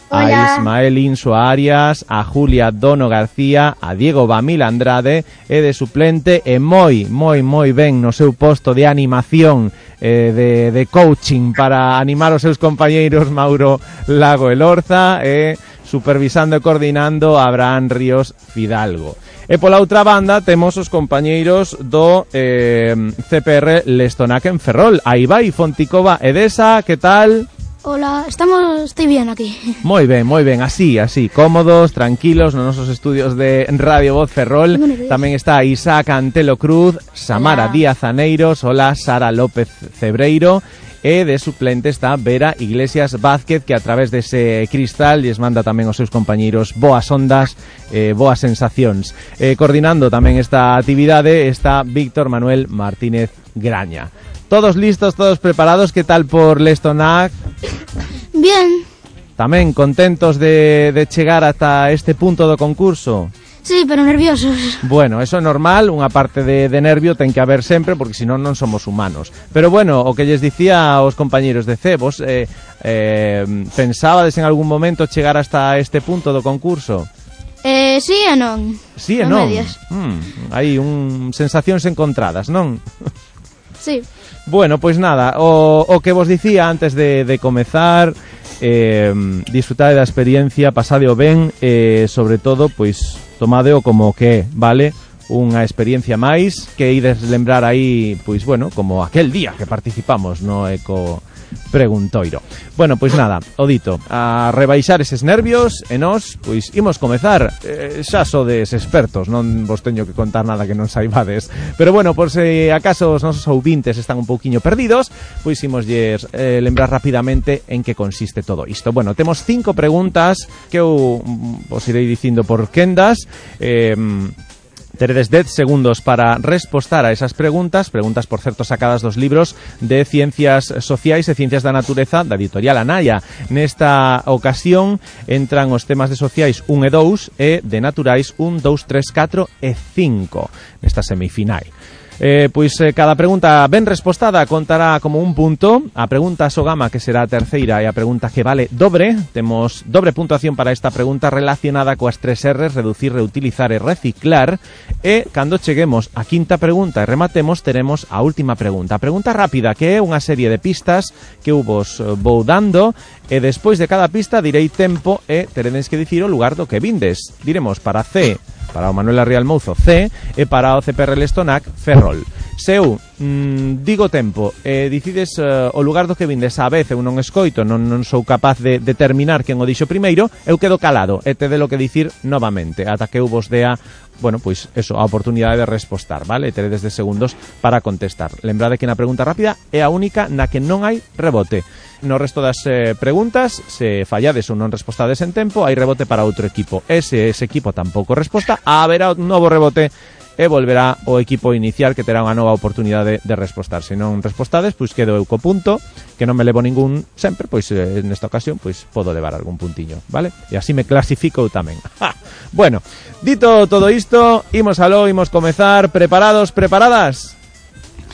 Hola. a Ismael Inso Arias, a Julia Dono García, a Diego Bamil Andrade e de suplente e moi, moi, moi ben no seu posto de animación, eh, de, de coaching para animar os seus compañeiros Mauro Lago Elorza e supervisando e coordinando a Abraham Ríos Fidalgo. E pola outra banda temos os compañeiros do eh, C P R Lestonac en Ferrol. Aí vai Fonticova Edesa, que tal? Hola, estamos, estoy bien aquí. Moi ben, moi ben, así, así, cómodos, tranquilos nos nosos estudios de Radio Voz Ferrol. Tamén está Isaac Antelo Cruz, Samara Hola. Díaz Aneiros, hola, Sara López Cebreiro. E de suplente está Vera Iglesias Vázquez, que a través dese cristal lles manda tamén aos seus compañeiros boas ondas, eh, boas sensacións. Eh, coordinando tamén esta actividade está Víctor Manuel Martínez Graña. Todos listos, todos preparados, que tal por Lestonac? Bien. Tamén contentos de, de chegar ata este punto do concurso? Sí, pero nerviosos. Bueno, eso é normal, unha parte de, de nervio ten que haber sempre, porque senón non somos humanos. Pero bueno, o que lles dicía aos compañeros de C, vos eh, eh, pensabades en algún momento chegar hasta este punto do concurso? Eh, sí e non. Sí e non. non? Hmm, hai un sensacións encontradas, non? Sí. Bueno, pois nada, o, o que vos dicía antes de, de comezar, eh, disfrutade da experiencia, pasadeo ben, e eh, sobre todo, pois tomadeo como que, vale, unha experiencia máis que ides lembrar aí, pois bueno, como aquel día que participamos no Eco Preguntoiro. Bueno, pois nada, o dito, a rebaixar eses nervios e nós, pois imos comezar. eh, xa sodes expertos, non vos teño que contar nada que non saibades, pero bueno, por se acaso os nosos ouvintes están un pouquiño perdidos, pois imos lles eh, lembrar rapidamente en que consiste todo isto. Bueno, temos cinco preguntas que eu vos irei dicindo por quendas. eh, Teredes dez segundos para respostar a esas preguntas, preguntas, por certo, sacadas dos libros de Ciencias Sociais e Ciencias da Natureza da editorial Anaya. Nesta ocasión entran os temas de sociais un e dous e de naturais un, dous, tres, catro e cinco nesta semifinal. Eh, pois eh, cada pregunta ben respostada contará como un punto. A pregunta Sogama, que será a terceira, e a pregunta que vale dobre. Temos dobre puntuación para esta pregunta relacionada coas tres R's: reducir, reutilizar e reciclar. E cando cheguemos á quinta pregunta e rematemos, teremos a última pregunta. A pregunta rápida, que é unha serie de pistas que eu vos vou dando, e despois de cada pista direi tempo e teredes que dicir o lugar do que vindes. Diremos para C, para o Manuel Arrial Mouzo, C, e para o C P R Lestonac, Ferrol. Se eu mm, digo tempo e dicides uh, o lugar do que vindes a vez, eu non escoito, non, non sou capaz de determinar quen o dixo primeiro, eu quedo calado e te de lo que dicir novamente, ata que eu vos dea, bueno, pois eso, a oportunidade de respostar, vale? Teredes de segundos para contestar. Lembrade que na pregunta rápida é a única na que non hai rebote. No resto das eh, preguntas, se fallades ou non respostades en tempo, hai rebote para outro equipo. E se ese equipo tampouco resposta, haberá un novo rebote e volverá o equipo inicial, que terá unha nova oportunidade de respostar. Se non respostades, pois quedo eu co punto, que non me levo ningún sempre, pois eh, nesta ocasión pois podo levar algún puntiño, vale? E así me clasifico eu tamén. ¡Ja! Bueno, dito todo isto, imos aló, imos comezar. Preparados, preparadas?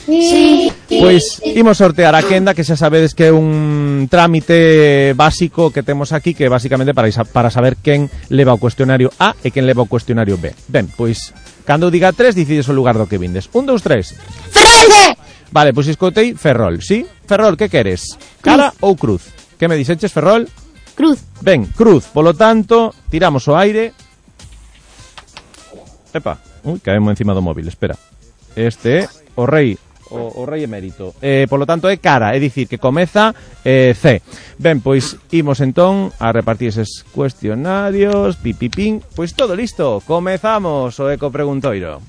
Sí. Pois imos sortear a quenda, que xa sabedes que é un trámite básico que temos aquí, que basicamente para, para saber quen leva o cuestionario A e quen leva o cuestionario B. Ben, pois, cando eu diga tres, decides o lugar do que vindes. Un, dous, tres. Ferrol! Vale, pois escoitei Ferrol, sí? Ferrol, que queres? Cara ou cruz? Que me dixeches, Ferrol? Cruz. Ben, cruz. Polo tanto, tiramos o aire. Epa, ui, caemos encima do móvil, espera. Este é o rei O, o rei emérito. Eh, polo tanto é cara, é dicir que comeza eh, C. Ben, pois imos entón a repartir eses cuestionarios. Pipipín. Pois todo listo. Comezamos o Eco Preguntoiro.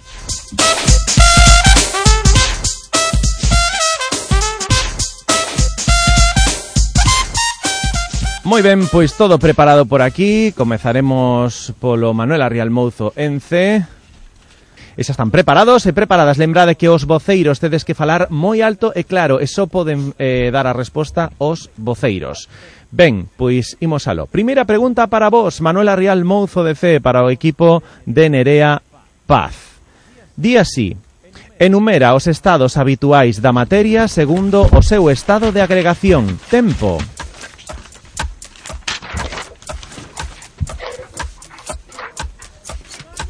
Moi ben, pois todo preparado por aquí. Comezaremos polo Manuel Arrial Mouzo en C. E xa están preparados e preparadas. Lembrade que os voceiros tedes que falar moi alto e claro, e só poden eh, dar a resposta os voceiros. Ben, pois imos aló. Primeira pregunta para vos, Manuel Arrial Mouzo de C, para o equipo de Nerea Paz. Di así: enumera os estados habituais da materia segundo o seu estado de agregación. Tempo.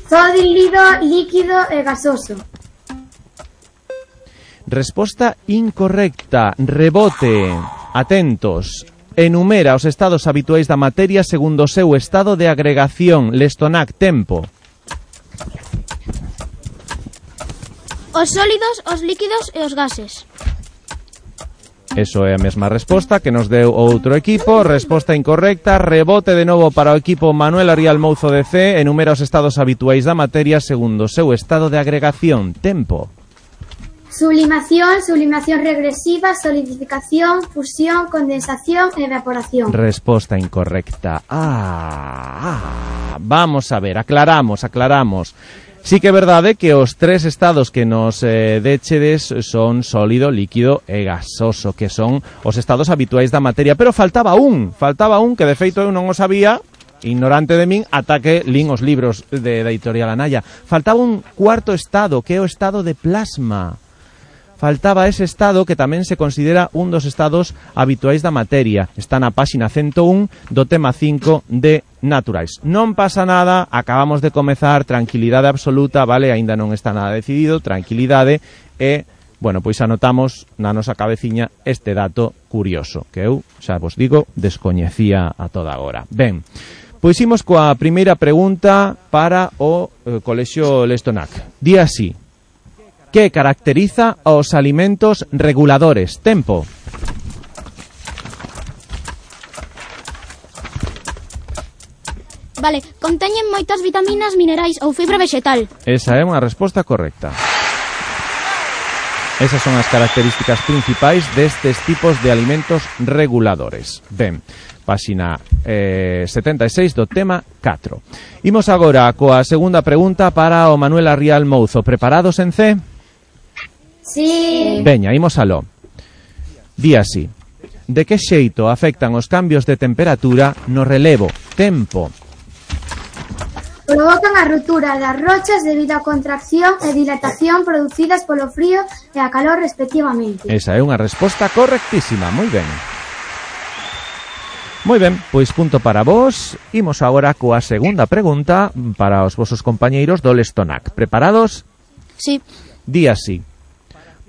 Sólido, líquido e gasoso. Resposta incorrecta. Rebote. Atentos. Enumera os estados habituais da materia segundo o seu estado de agregación. Lestonac, tempo. Os sólidos, os líquidos e os gases. Eso é a mesma resposta que nos deu outro equipo. Resposta incorrecta. Rebote de novo para o equipo Manuel Arrial Mouzo de C. Enumera os estados habituais da materia segundo o seu estado de agregación. Tempo. Sublimación, sublimación regresiva, solidificación, fusión, condensación e evaporación. Resposta incorrecta. Ah, ah. Vamos a ver, aclaramos, aclaramos. Sí que é verdade que os tres estados que nos eh, dechedes son sólido, líquido e gasoso, que son os estados habituais da materia, pero faltaba un, faltaba un que de feito eu non o sabía, ignorante de min, ata que lin os libros de, da editorial Anaya. Faltaba un cuarto estado, que é o estado de plasma. Faltaba ese estado que tamén se considera un dos estados habituais da materia. Está na páxina ciento un do tema cinco de Naturais. Non pasa nada, acabamos de comezar, tranquilidade absoluta, vale? Aínda non está nada decidido, tranquilidade e, bueno, pois anotamos na nosa cabeciña este dato curioso, que eu, xa vos digo, descoñecía a toda hora. Ben, pois imos coa primeira pregunta para o eh, Colexio Lestonac. Di así: que caracteriza aos alimentos reguladores? Tempo. Vale, conteñen moitas vitaminas, minerais ou fibra vegetal. Esa é unha resposta correcta. Esas son as características principais destes tipos de alimentos reguladores. Ben, páxina eh, setenta e seis do tema catro. Imos agora coa segunda pregunta para o Manuel Arrial Mouzo. Preparados en C? Sí. Veña, imos aló. Di así: de que xeito afectan os cambios de temperatura no relevo? Tempo. Provocan a ruptura das rochas debido á contracción e dilatación producidas polo frío e a calor respectivamente. Esa é unha resposta correctísima, moi ben. Moi ben, pois punto para vos. Imos agora coa segunda pregunta para os vosos compañeiros do Lestonac. Preparados? Sí. Di así.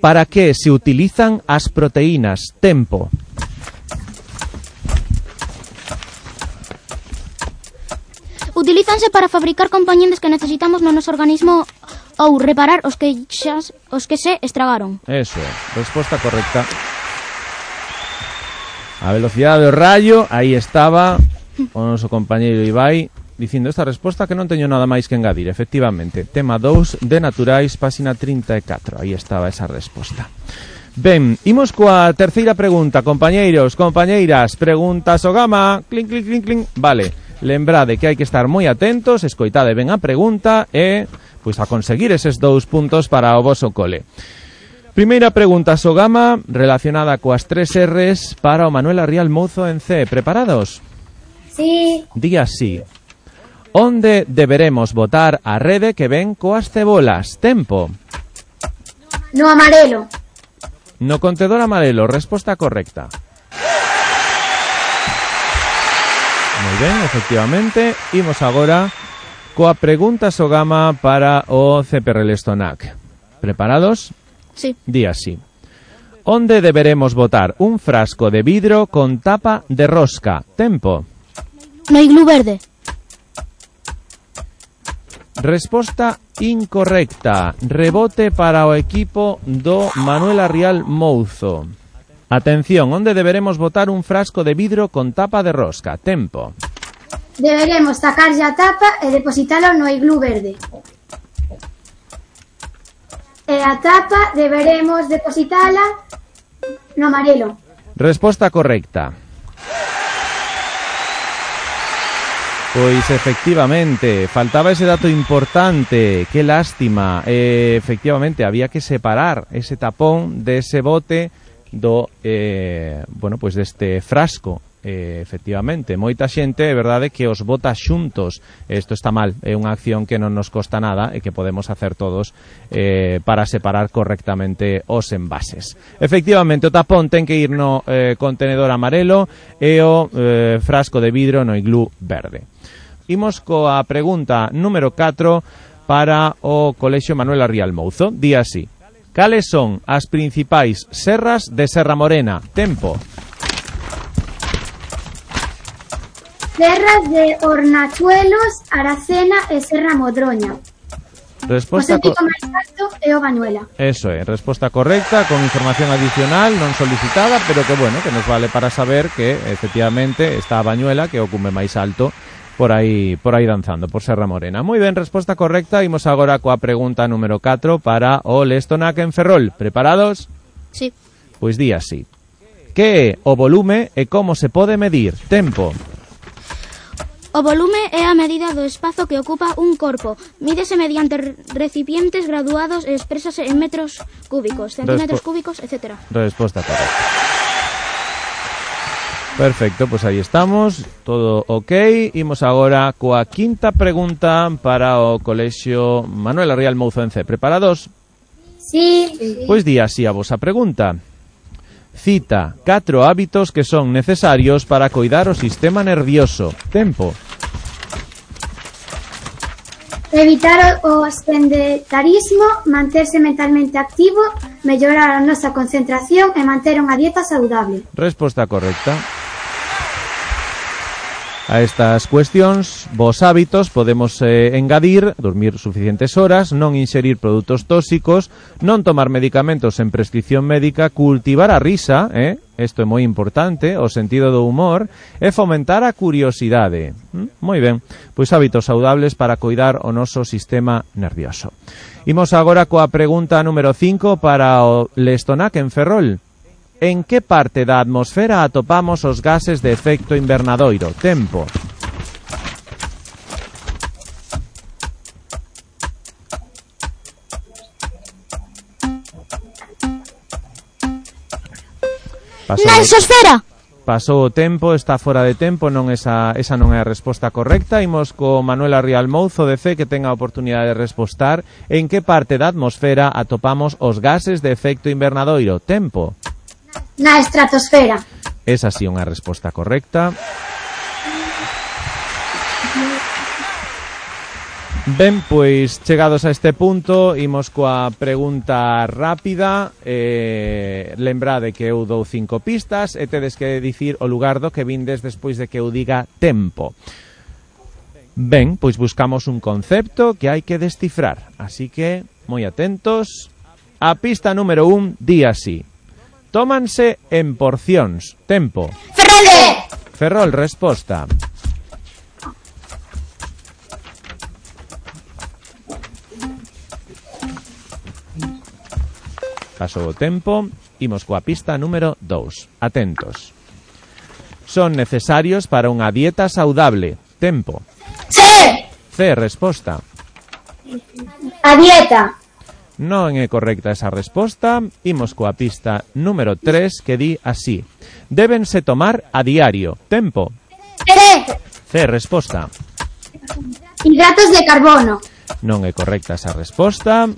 Para que se utilizan as proteínas? Tempo. Utilízanse para fabricar componentes que necesitamos no noso organismo ou reparar os que xa, os que se estragaron. Eso é, resposta correcta. A velocidade do rayo, aí estaba o noso compañeiro Ibai dicindo esta resposta que non teño nada máis que engadir. Efectivamente, tema dous de Naturais, páxina trinta e catro. Aí estaba esa resposta. Ben, imos coa terceira pregunta, compañeiros, compañeiras. Pregunta Sogama. Clink, clink, clink, clink. Vale, lembrade que hai que estar moi atentos, escoitade ben a pregunta e, pois, a conseguir eses dous puntos para o voso cole. Primeira pregunta, Sogama, relacionada coas tres R's para o Manuel Arrial Mouzo en C. Preparados? Sí. Di así. Onde deberemos botar a rede que ven coas cebolas? Tempo. No amarelo. No contedor amarelo, resposta correcta. Moi ben, efectivamente. Imos agora coa pregunta Sogama para o C P R Lestonac. Preparados? Sí. Di así. Onde deberemos botar un frasco de vidro con tapa de rosca? Tempo. No iglú verde. Resposta incorrecta. Rebote para o equipo do Manuel Arrial Mouzo. Atención, onde deberemos botar un frasco de vidro con tapa de rosca? Tempo. Deberemos sacarlle a tapa e depositalo no iglú verde. E a tapa deberemos depositala no amarelo. Resposta correcta. Pois efectivamente, faltaba ese dato importante, qué lástima. Eh, efectivamente, había que separar ese tapón de ese bote do, eh, bueno, pues deste frasco. Eh, efectivamente, moita xente, é verdade que os bota xuntos. Isto está mal, é unha acción que non nos costa nada e que podemos hacer todos eh, para separar correctamente os envases. Efectivamente, o tapón ten que ir no eh, contenedor amarelo e o eh, frasco de vidro no iglú verde. Imos coa pregunta número catro para o Colexio Manuel Arrial Mouzo. Di así. Cales son as principais serras de Serra Morena? Tempo. Serras de Hornachuelos, Aracena e Serra Modroña. Resposta o sentido máis alto é o Bañuela. Eso é, resposta correcta, con información adicional non solicitada, pero que bueno, que nos vale para saber que efectivamente está a Bañuela, que é o cume máis alto por aí por aí danzando, por Serra Morena. Moi ben, resposta correcta. Imos agora coa pregunta número catro para o Lestonac en Ferrol. Preparados? Sí. Pois di así. Que é o volume e como se pode medir? Tempo. O volume é a medida do espazo que ocupa un corpo. Mídese mediante recipientes graduados e expresase en metros cúbicos, centímetros Respo cúbicos, etcétera. Resposta correcta. Perfecto, pois pues aí estamos, todo ok. Imos agora coa quinta pregunta para o Colexio Manuel Arrial Mouzo en C. Preparados? Sí. Pois di así a vosa pregunta. Cita catro hábitos que son necesarios para coidar o sistema nervioso. Tempo. Evitar o sedentarismo, manterse mentalmente activo, mellorar a nosa concentración e manter unha dieta saudable. Resposta correcta. A estas cuestións, vos hábitos podemos eh, engadir dormir suficientes horas, non inxerir produtos tóxicos, non tomar medicamentos en prescripción médica, cultivar a risa, eh? Isto é moi importante, o sentido do humor, e fomentar a curiosidade. ¿Mm? Moi ben, pois hábitos saudables para coidar o noso sistema nervioso. Imos agora coa pregunta número cinco para o Lestonac en Ferrol. En que parte da atmosfera atopamos os gases de efecto invernadoiro? Tempo. Paso na exosfera. pasou o tempo, está fora de tempo, non esa, esa non é a resposta correcta. Imos co Manuela Rial Mouzo de C, que ten a oportunidade de respostar. En que parte da atmosfera atopamos os gases de efecto invernadoiro? Tempo. Na estratosfera. Esa sí unha resposta correcta. Ben, pois chegados a este punto, imos coa pregunta rápida. eh, Lembrade que eu dou cinco pistas e tedes que dicir o lugar do que vindes despois de que eu diga tempo. Ben, pois buscamos un concepto que hai que descifrar, así que, moi atentos. A pista número un di así: tómanse en porcións. Tempo. Ferrol. Ferrol, resposta. Pasou o tempo, imos coa pista número dous. Atentos. Son necesarios para unha dieta saudable. Tempo. C. C, resposta. A dieta. Non é correcta esa resposta. Imos coa pista número tres, que di así: débense tomar a diario. Tempo. C. C, resposta. Hidratos de carbono. Non é correcta esa resposta.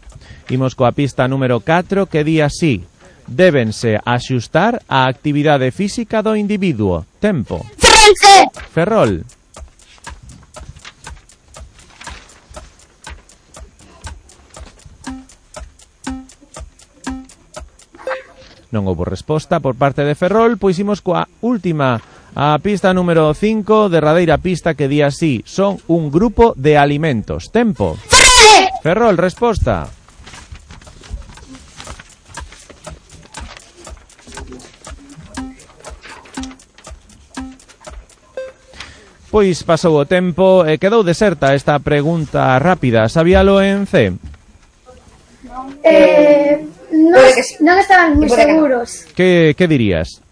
Imos coa pista número catro, que di así: débense axustar á actividade física do individuo. Tempo. Ferrol. Ferrol. Non houbo resposta por parte de Ferrol, pois imos coa última, a pista número cinco, derradeira pista, que di así: son un grupo de alimentos. Tempo. Ferrol. Ferrol, resposta. Pois pasou o tempo e quedou deserta esta pregunta rápida. Sabíalo en C? Eh, non, non estaban moi seguros. Que, que dirías?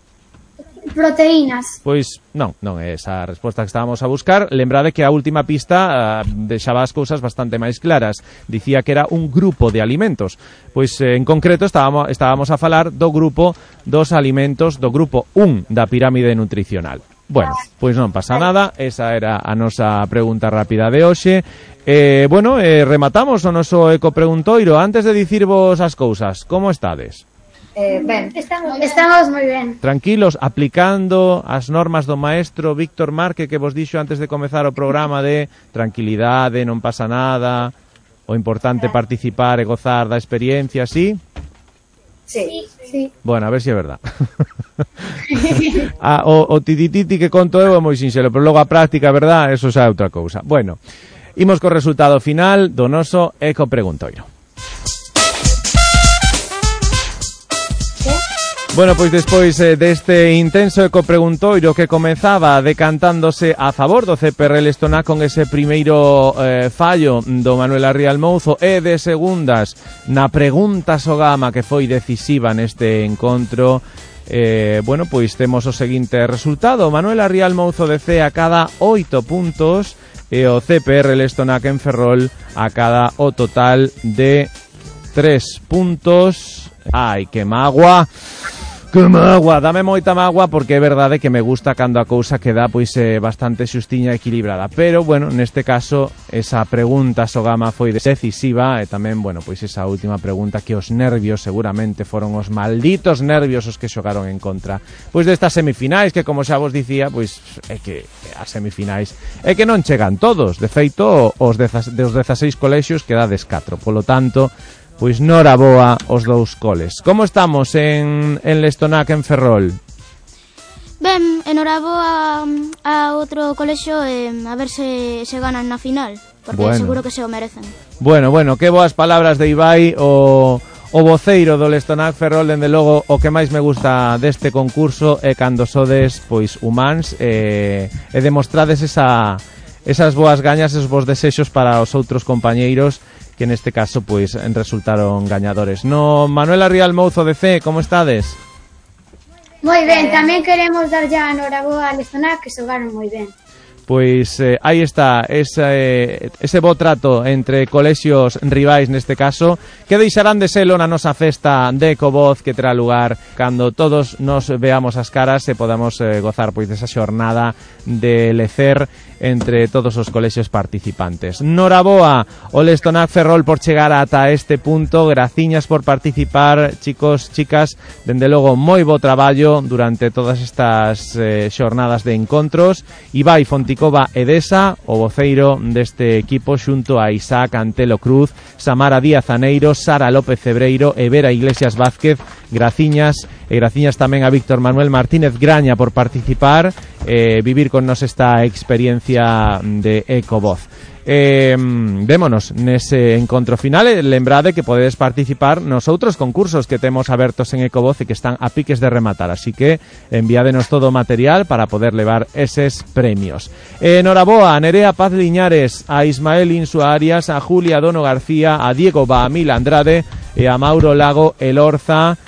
Proteínas. Pois non, non é esa a resposta que estábamos a buscar. Lembrade que a última pista uh, deixaba as cousas bastante máis claras. Dicía que era un grupo de alimentos. Pois eh, en concreto estábamos, estábamos a falar do grupo dos alimentos, do grupo un da pirámide nutricional. Bueno, pois non pasa nada, esa era a nosa pregunta rápida de hoxe. Eh, bueno, eh, rematamos o noso ecopreguntoiro. Antes de dicirvos as cousas, como estades? Eh, ben, estamos, estamos moi ben. Tranquilos, aplicando as normas do maestro Víctor Marque, que vos dixo antes de comezar o programa, de tranquilidade, non pasa nada, o importante participar e gozar da experiencia, ¿sí? Sí, sí. Bueno, a ver se si é verdad. ah, o, o titititi que conto eu é moi sinxelo, pero logo a práctica, verdad, eso xa é outra cousa. Bueno, imos co resultado final do noso ecopreguntoiro. Bueno, pois despois eh, deste intenso ecopreguntoiro que comezaba decantándose a favor do C P R Lestonac con ese primeiro eh, fallo do Manuela Rial Mouzo e de segundas na pregunta Sogama que foi decisiva neste encontro, eh, bueno, pois temos o seguinte resultado: Manuela Rial Mouzo de C a cada oito puntos e o C P R Lestonac en Ferrol a cada o total de tres puntos. Ai, que magua. Que magua, dame moita magua, porque é verdade que me gusta cando a cousa queda pois eh, bastante xustiña e equilibrada, pero bueno, neste caso esa pregunta Sogama foi decisiva e tamén, bueno, pois esa última pregunta que os nervios seguramente foron os malditos nervios os que xogaron en contra pois destas semifinais, que como xa vos dicía, pois é que as semifinais é que non chegan todos, de feito os dos dezaseis colexios quedades catro, polo tanto pois noraboa os dous coles. Como estamos en, en Lestonac, en Ferrol? Ben, enhoraboa a outro colexio e a ver se, se ganan na final, porque bueno, seguro que se o merecen. Bueno, bueno, que boas palabras de Ibai, o, o voceiro do Lestonac Ferrol. Dende logo, o que máis me gusta deste concurso é cando sodes pois humáns e, e demostrades esa, esas boas gañas, esos bons desexos para os outros compañeiros que neste caso pois resultaron gañadores. No, Manuela Rial Mouzo de C, como estades? Moi ben, tamén queremos dar ya a noraboa a Lestonac, que xogaron moi ben. Pois eh, aí está ese, eh, ese bo trato entre colexios rivais neste caso, que deixarán de selo na nosa festa de Ecovoz, que terá lugar cando todos nos veamos as caras e podamos eh, gozar pois desa xornada de lecer entre todos os colexios participantes. Noraboa o Lestonac Ferrol por chegar ata este punto, graciñas por participar, chicos, chicas, dende logo moi bo traballo durante todas estas eh, xornadas de encontros. Ibai Fonticova Edesa, o voceiro deste equipo, xunto a Isaac Antelo Cruz, Samara Díaz Aneiro, Sara López Cebreiro e Vera Iglesias Vázquez, graciñas, e graciñas tamén a Víctor Manuel Martínez Graña por participar, eh, vivir con nos esta experiencia de Ecovoz. Eh, vémonos nese encontro final e lembrade que podedes participar nos outros concursos que temos abertos en Ecovoz e que están a piques de rematar, así que enviádenos todo o material para poder levar eses premios. Eh, Noraboa a Nerea Paz Liñares, a Ismael Insua Arias, a Julia Dono García, a Diego Baamil Andrade e a Mauro Lago Elorza.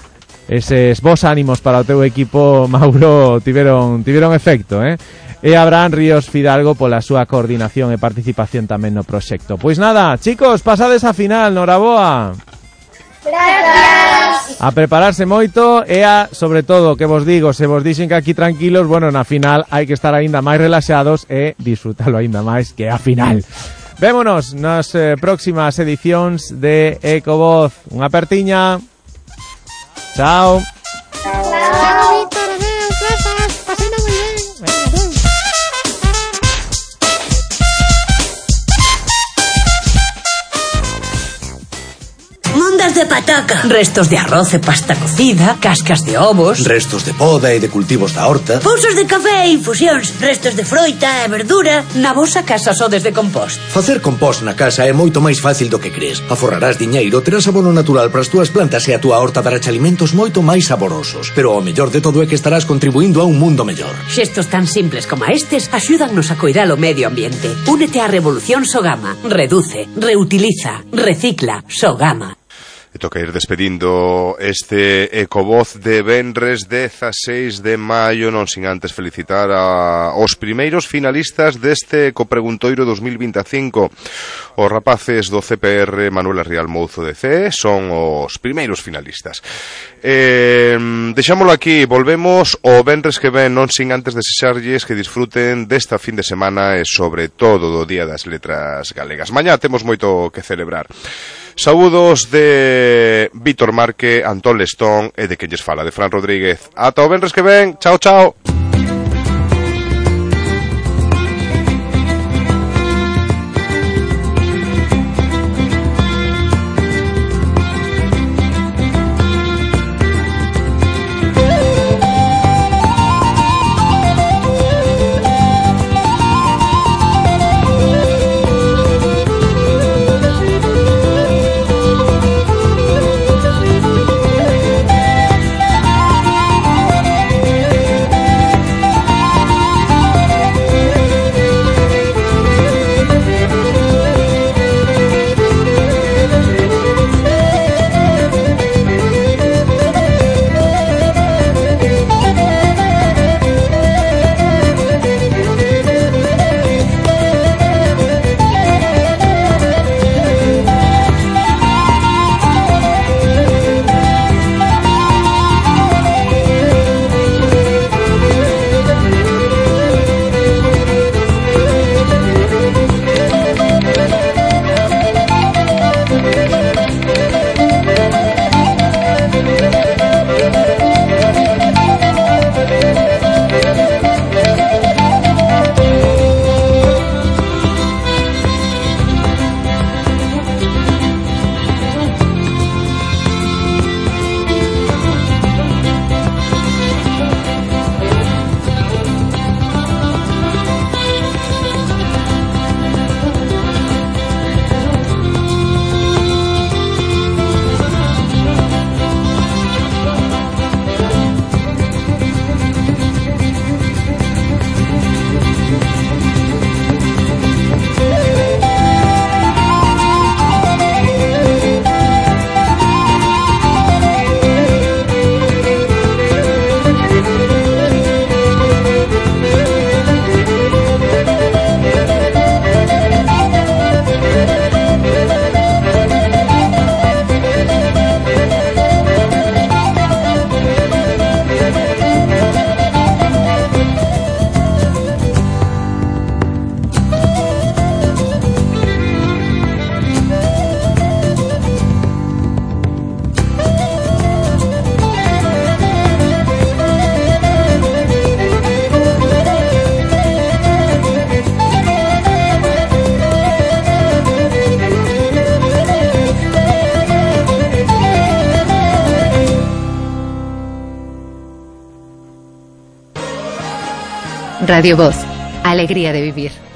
Eses vos ánimos para o teu equipo, Mauro, tiveron, tiveron efecto, eh? E Abraham Ríos Fidalgo pola súa coordinación e participación tamén no proxecto. Pois nada, chicos, pasades a final, Noraboa. Gracias. A prepararse moito e a, sobre todo, que vos digo, se vos dixen que aquí tranquilos, bueno, na final hai que estar aínda máis relaxados e disfrutalo aínda máis que a final. Vémonos nas eh, próximas edicións de Ecovoz. Unha apertiña. Chao. Chao, Víctor, adeus, grazas, pasena moi ben. Mondas de pataca, restos de arroz e pasta cocida, cascas de ovos, restos de poda e de cultivos da horta, pousos de café e infusións, restos de froita e verdura. Na vosa casa sodes de compost. Facer compost na casa é moito máis fácil do que crees. Aforrarás diñeiro, terás abono natural para as túas plantas e a túa horta dará alimentos moito máis saborosos. Pero o mellor de todo é que estarás contribuindo a un mundo mellor. Xestos tan simples como estes axúdannos a coidar o medio ambiente. Únete á revolución Sogama. Reduce, reutiliza, recicla. Sogama. E toca ir despedindo este Ecovoz de venres dezaseis de maio, non sin antes felicitar a os primeiros finalistas deste Ecopreguntoiro dos mil vinte e cinco. Os rapaces do C P R Manuela Rial Mouzo de C son os primeiros finalistas. Eh, deixámoslo aquí, volvemos o venres que ven, non sin antes desexarlles que disfruten desta fin de semana e sobre todo do Día das Letras Galegas. Mañá temos moito que celebrar. Saúdos de Víctor Marque, Antón Lestón e de quen lles fala, de Fran Rodríguez. Ata o venres que ven, chao, chao. Radio Voz, alegría de vivir.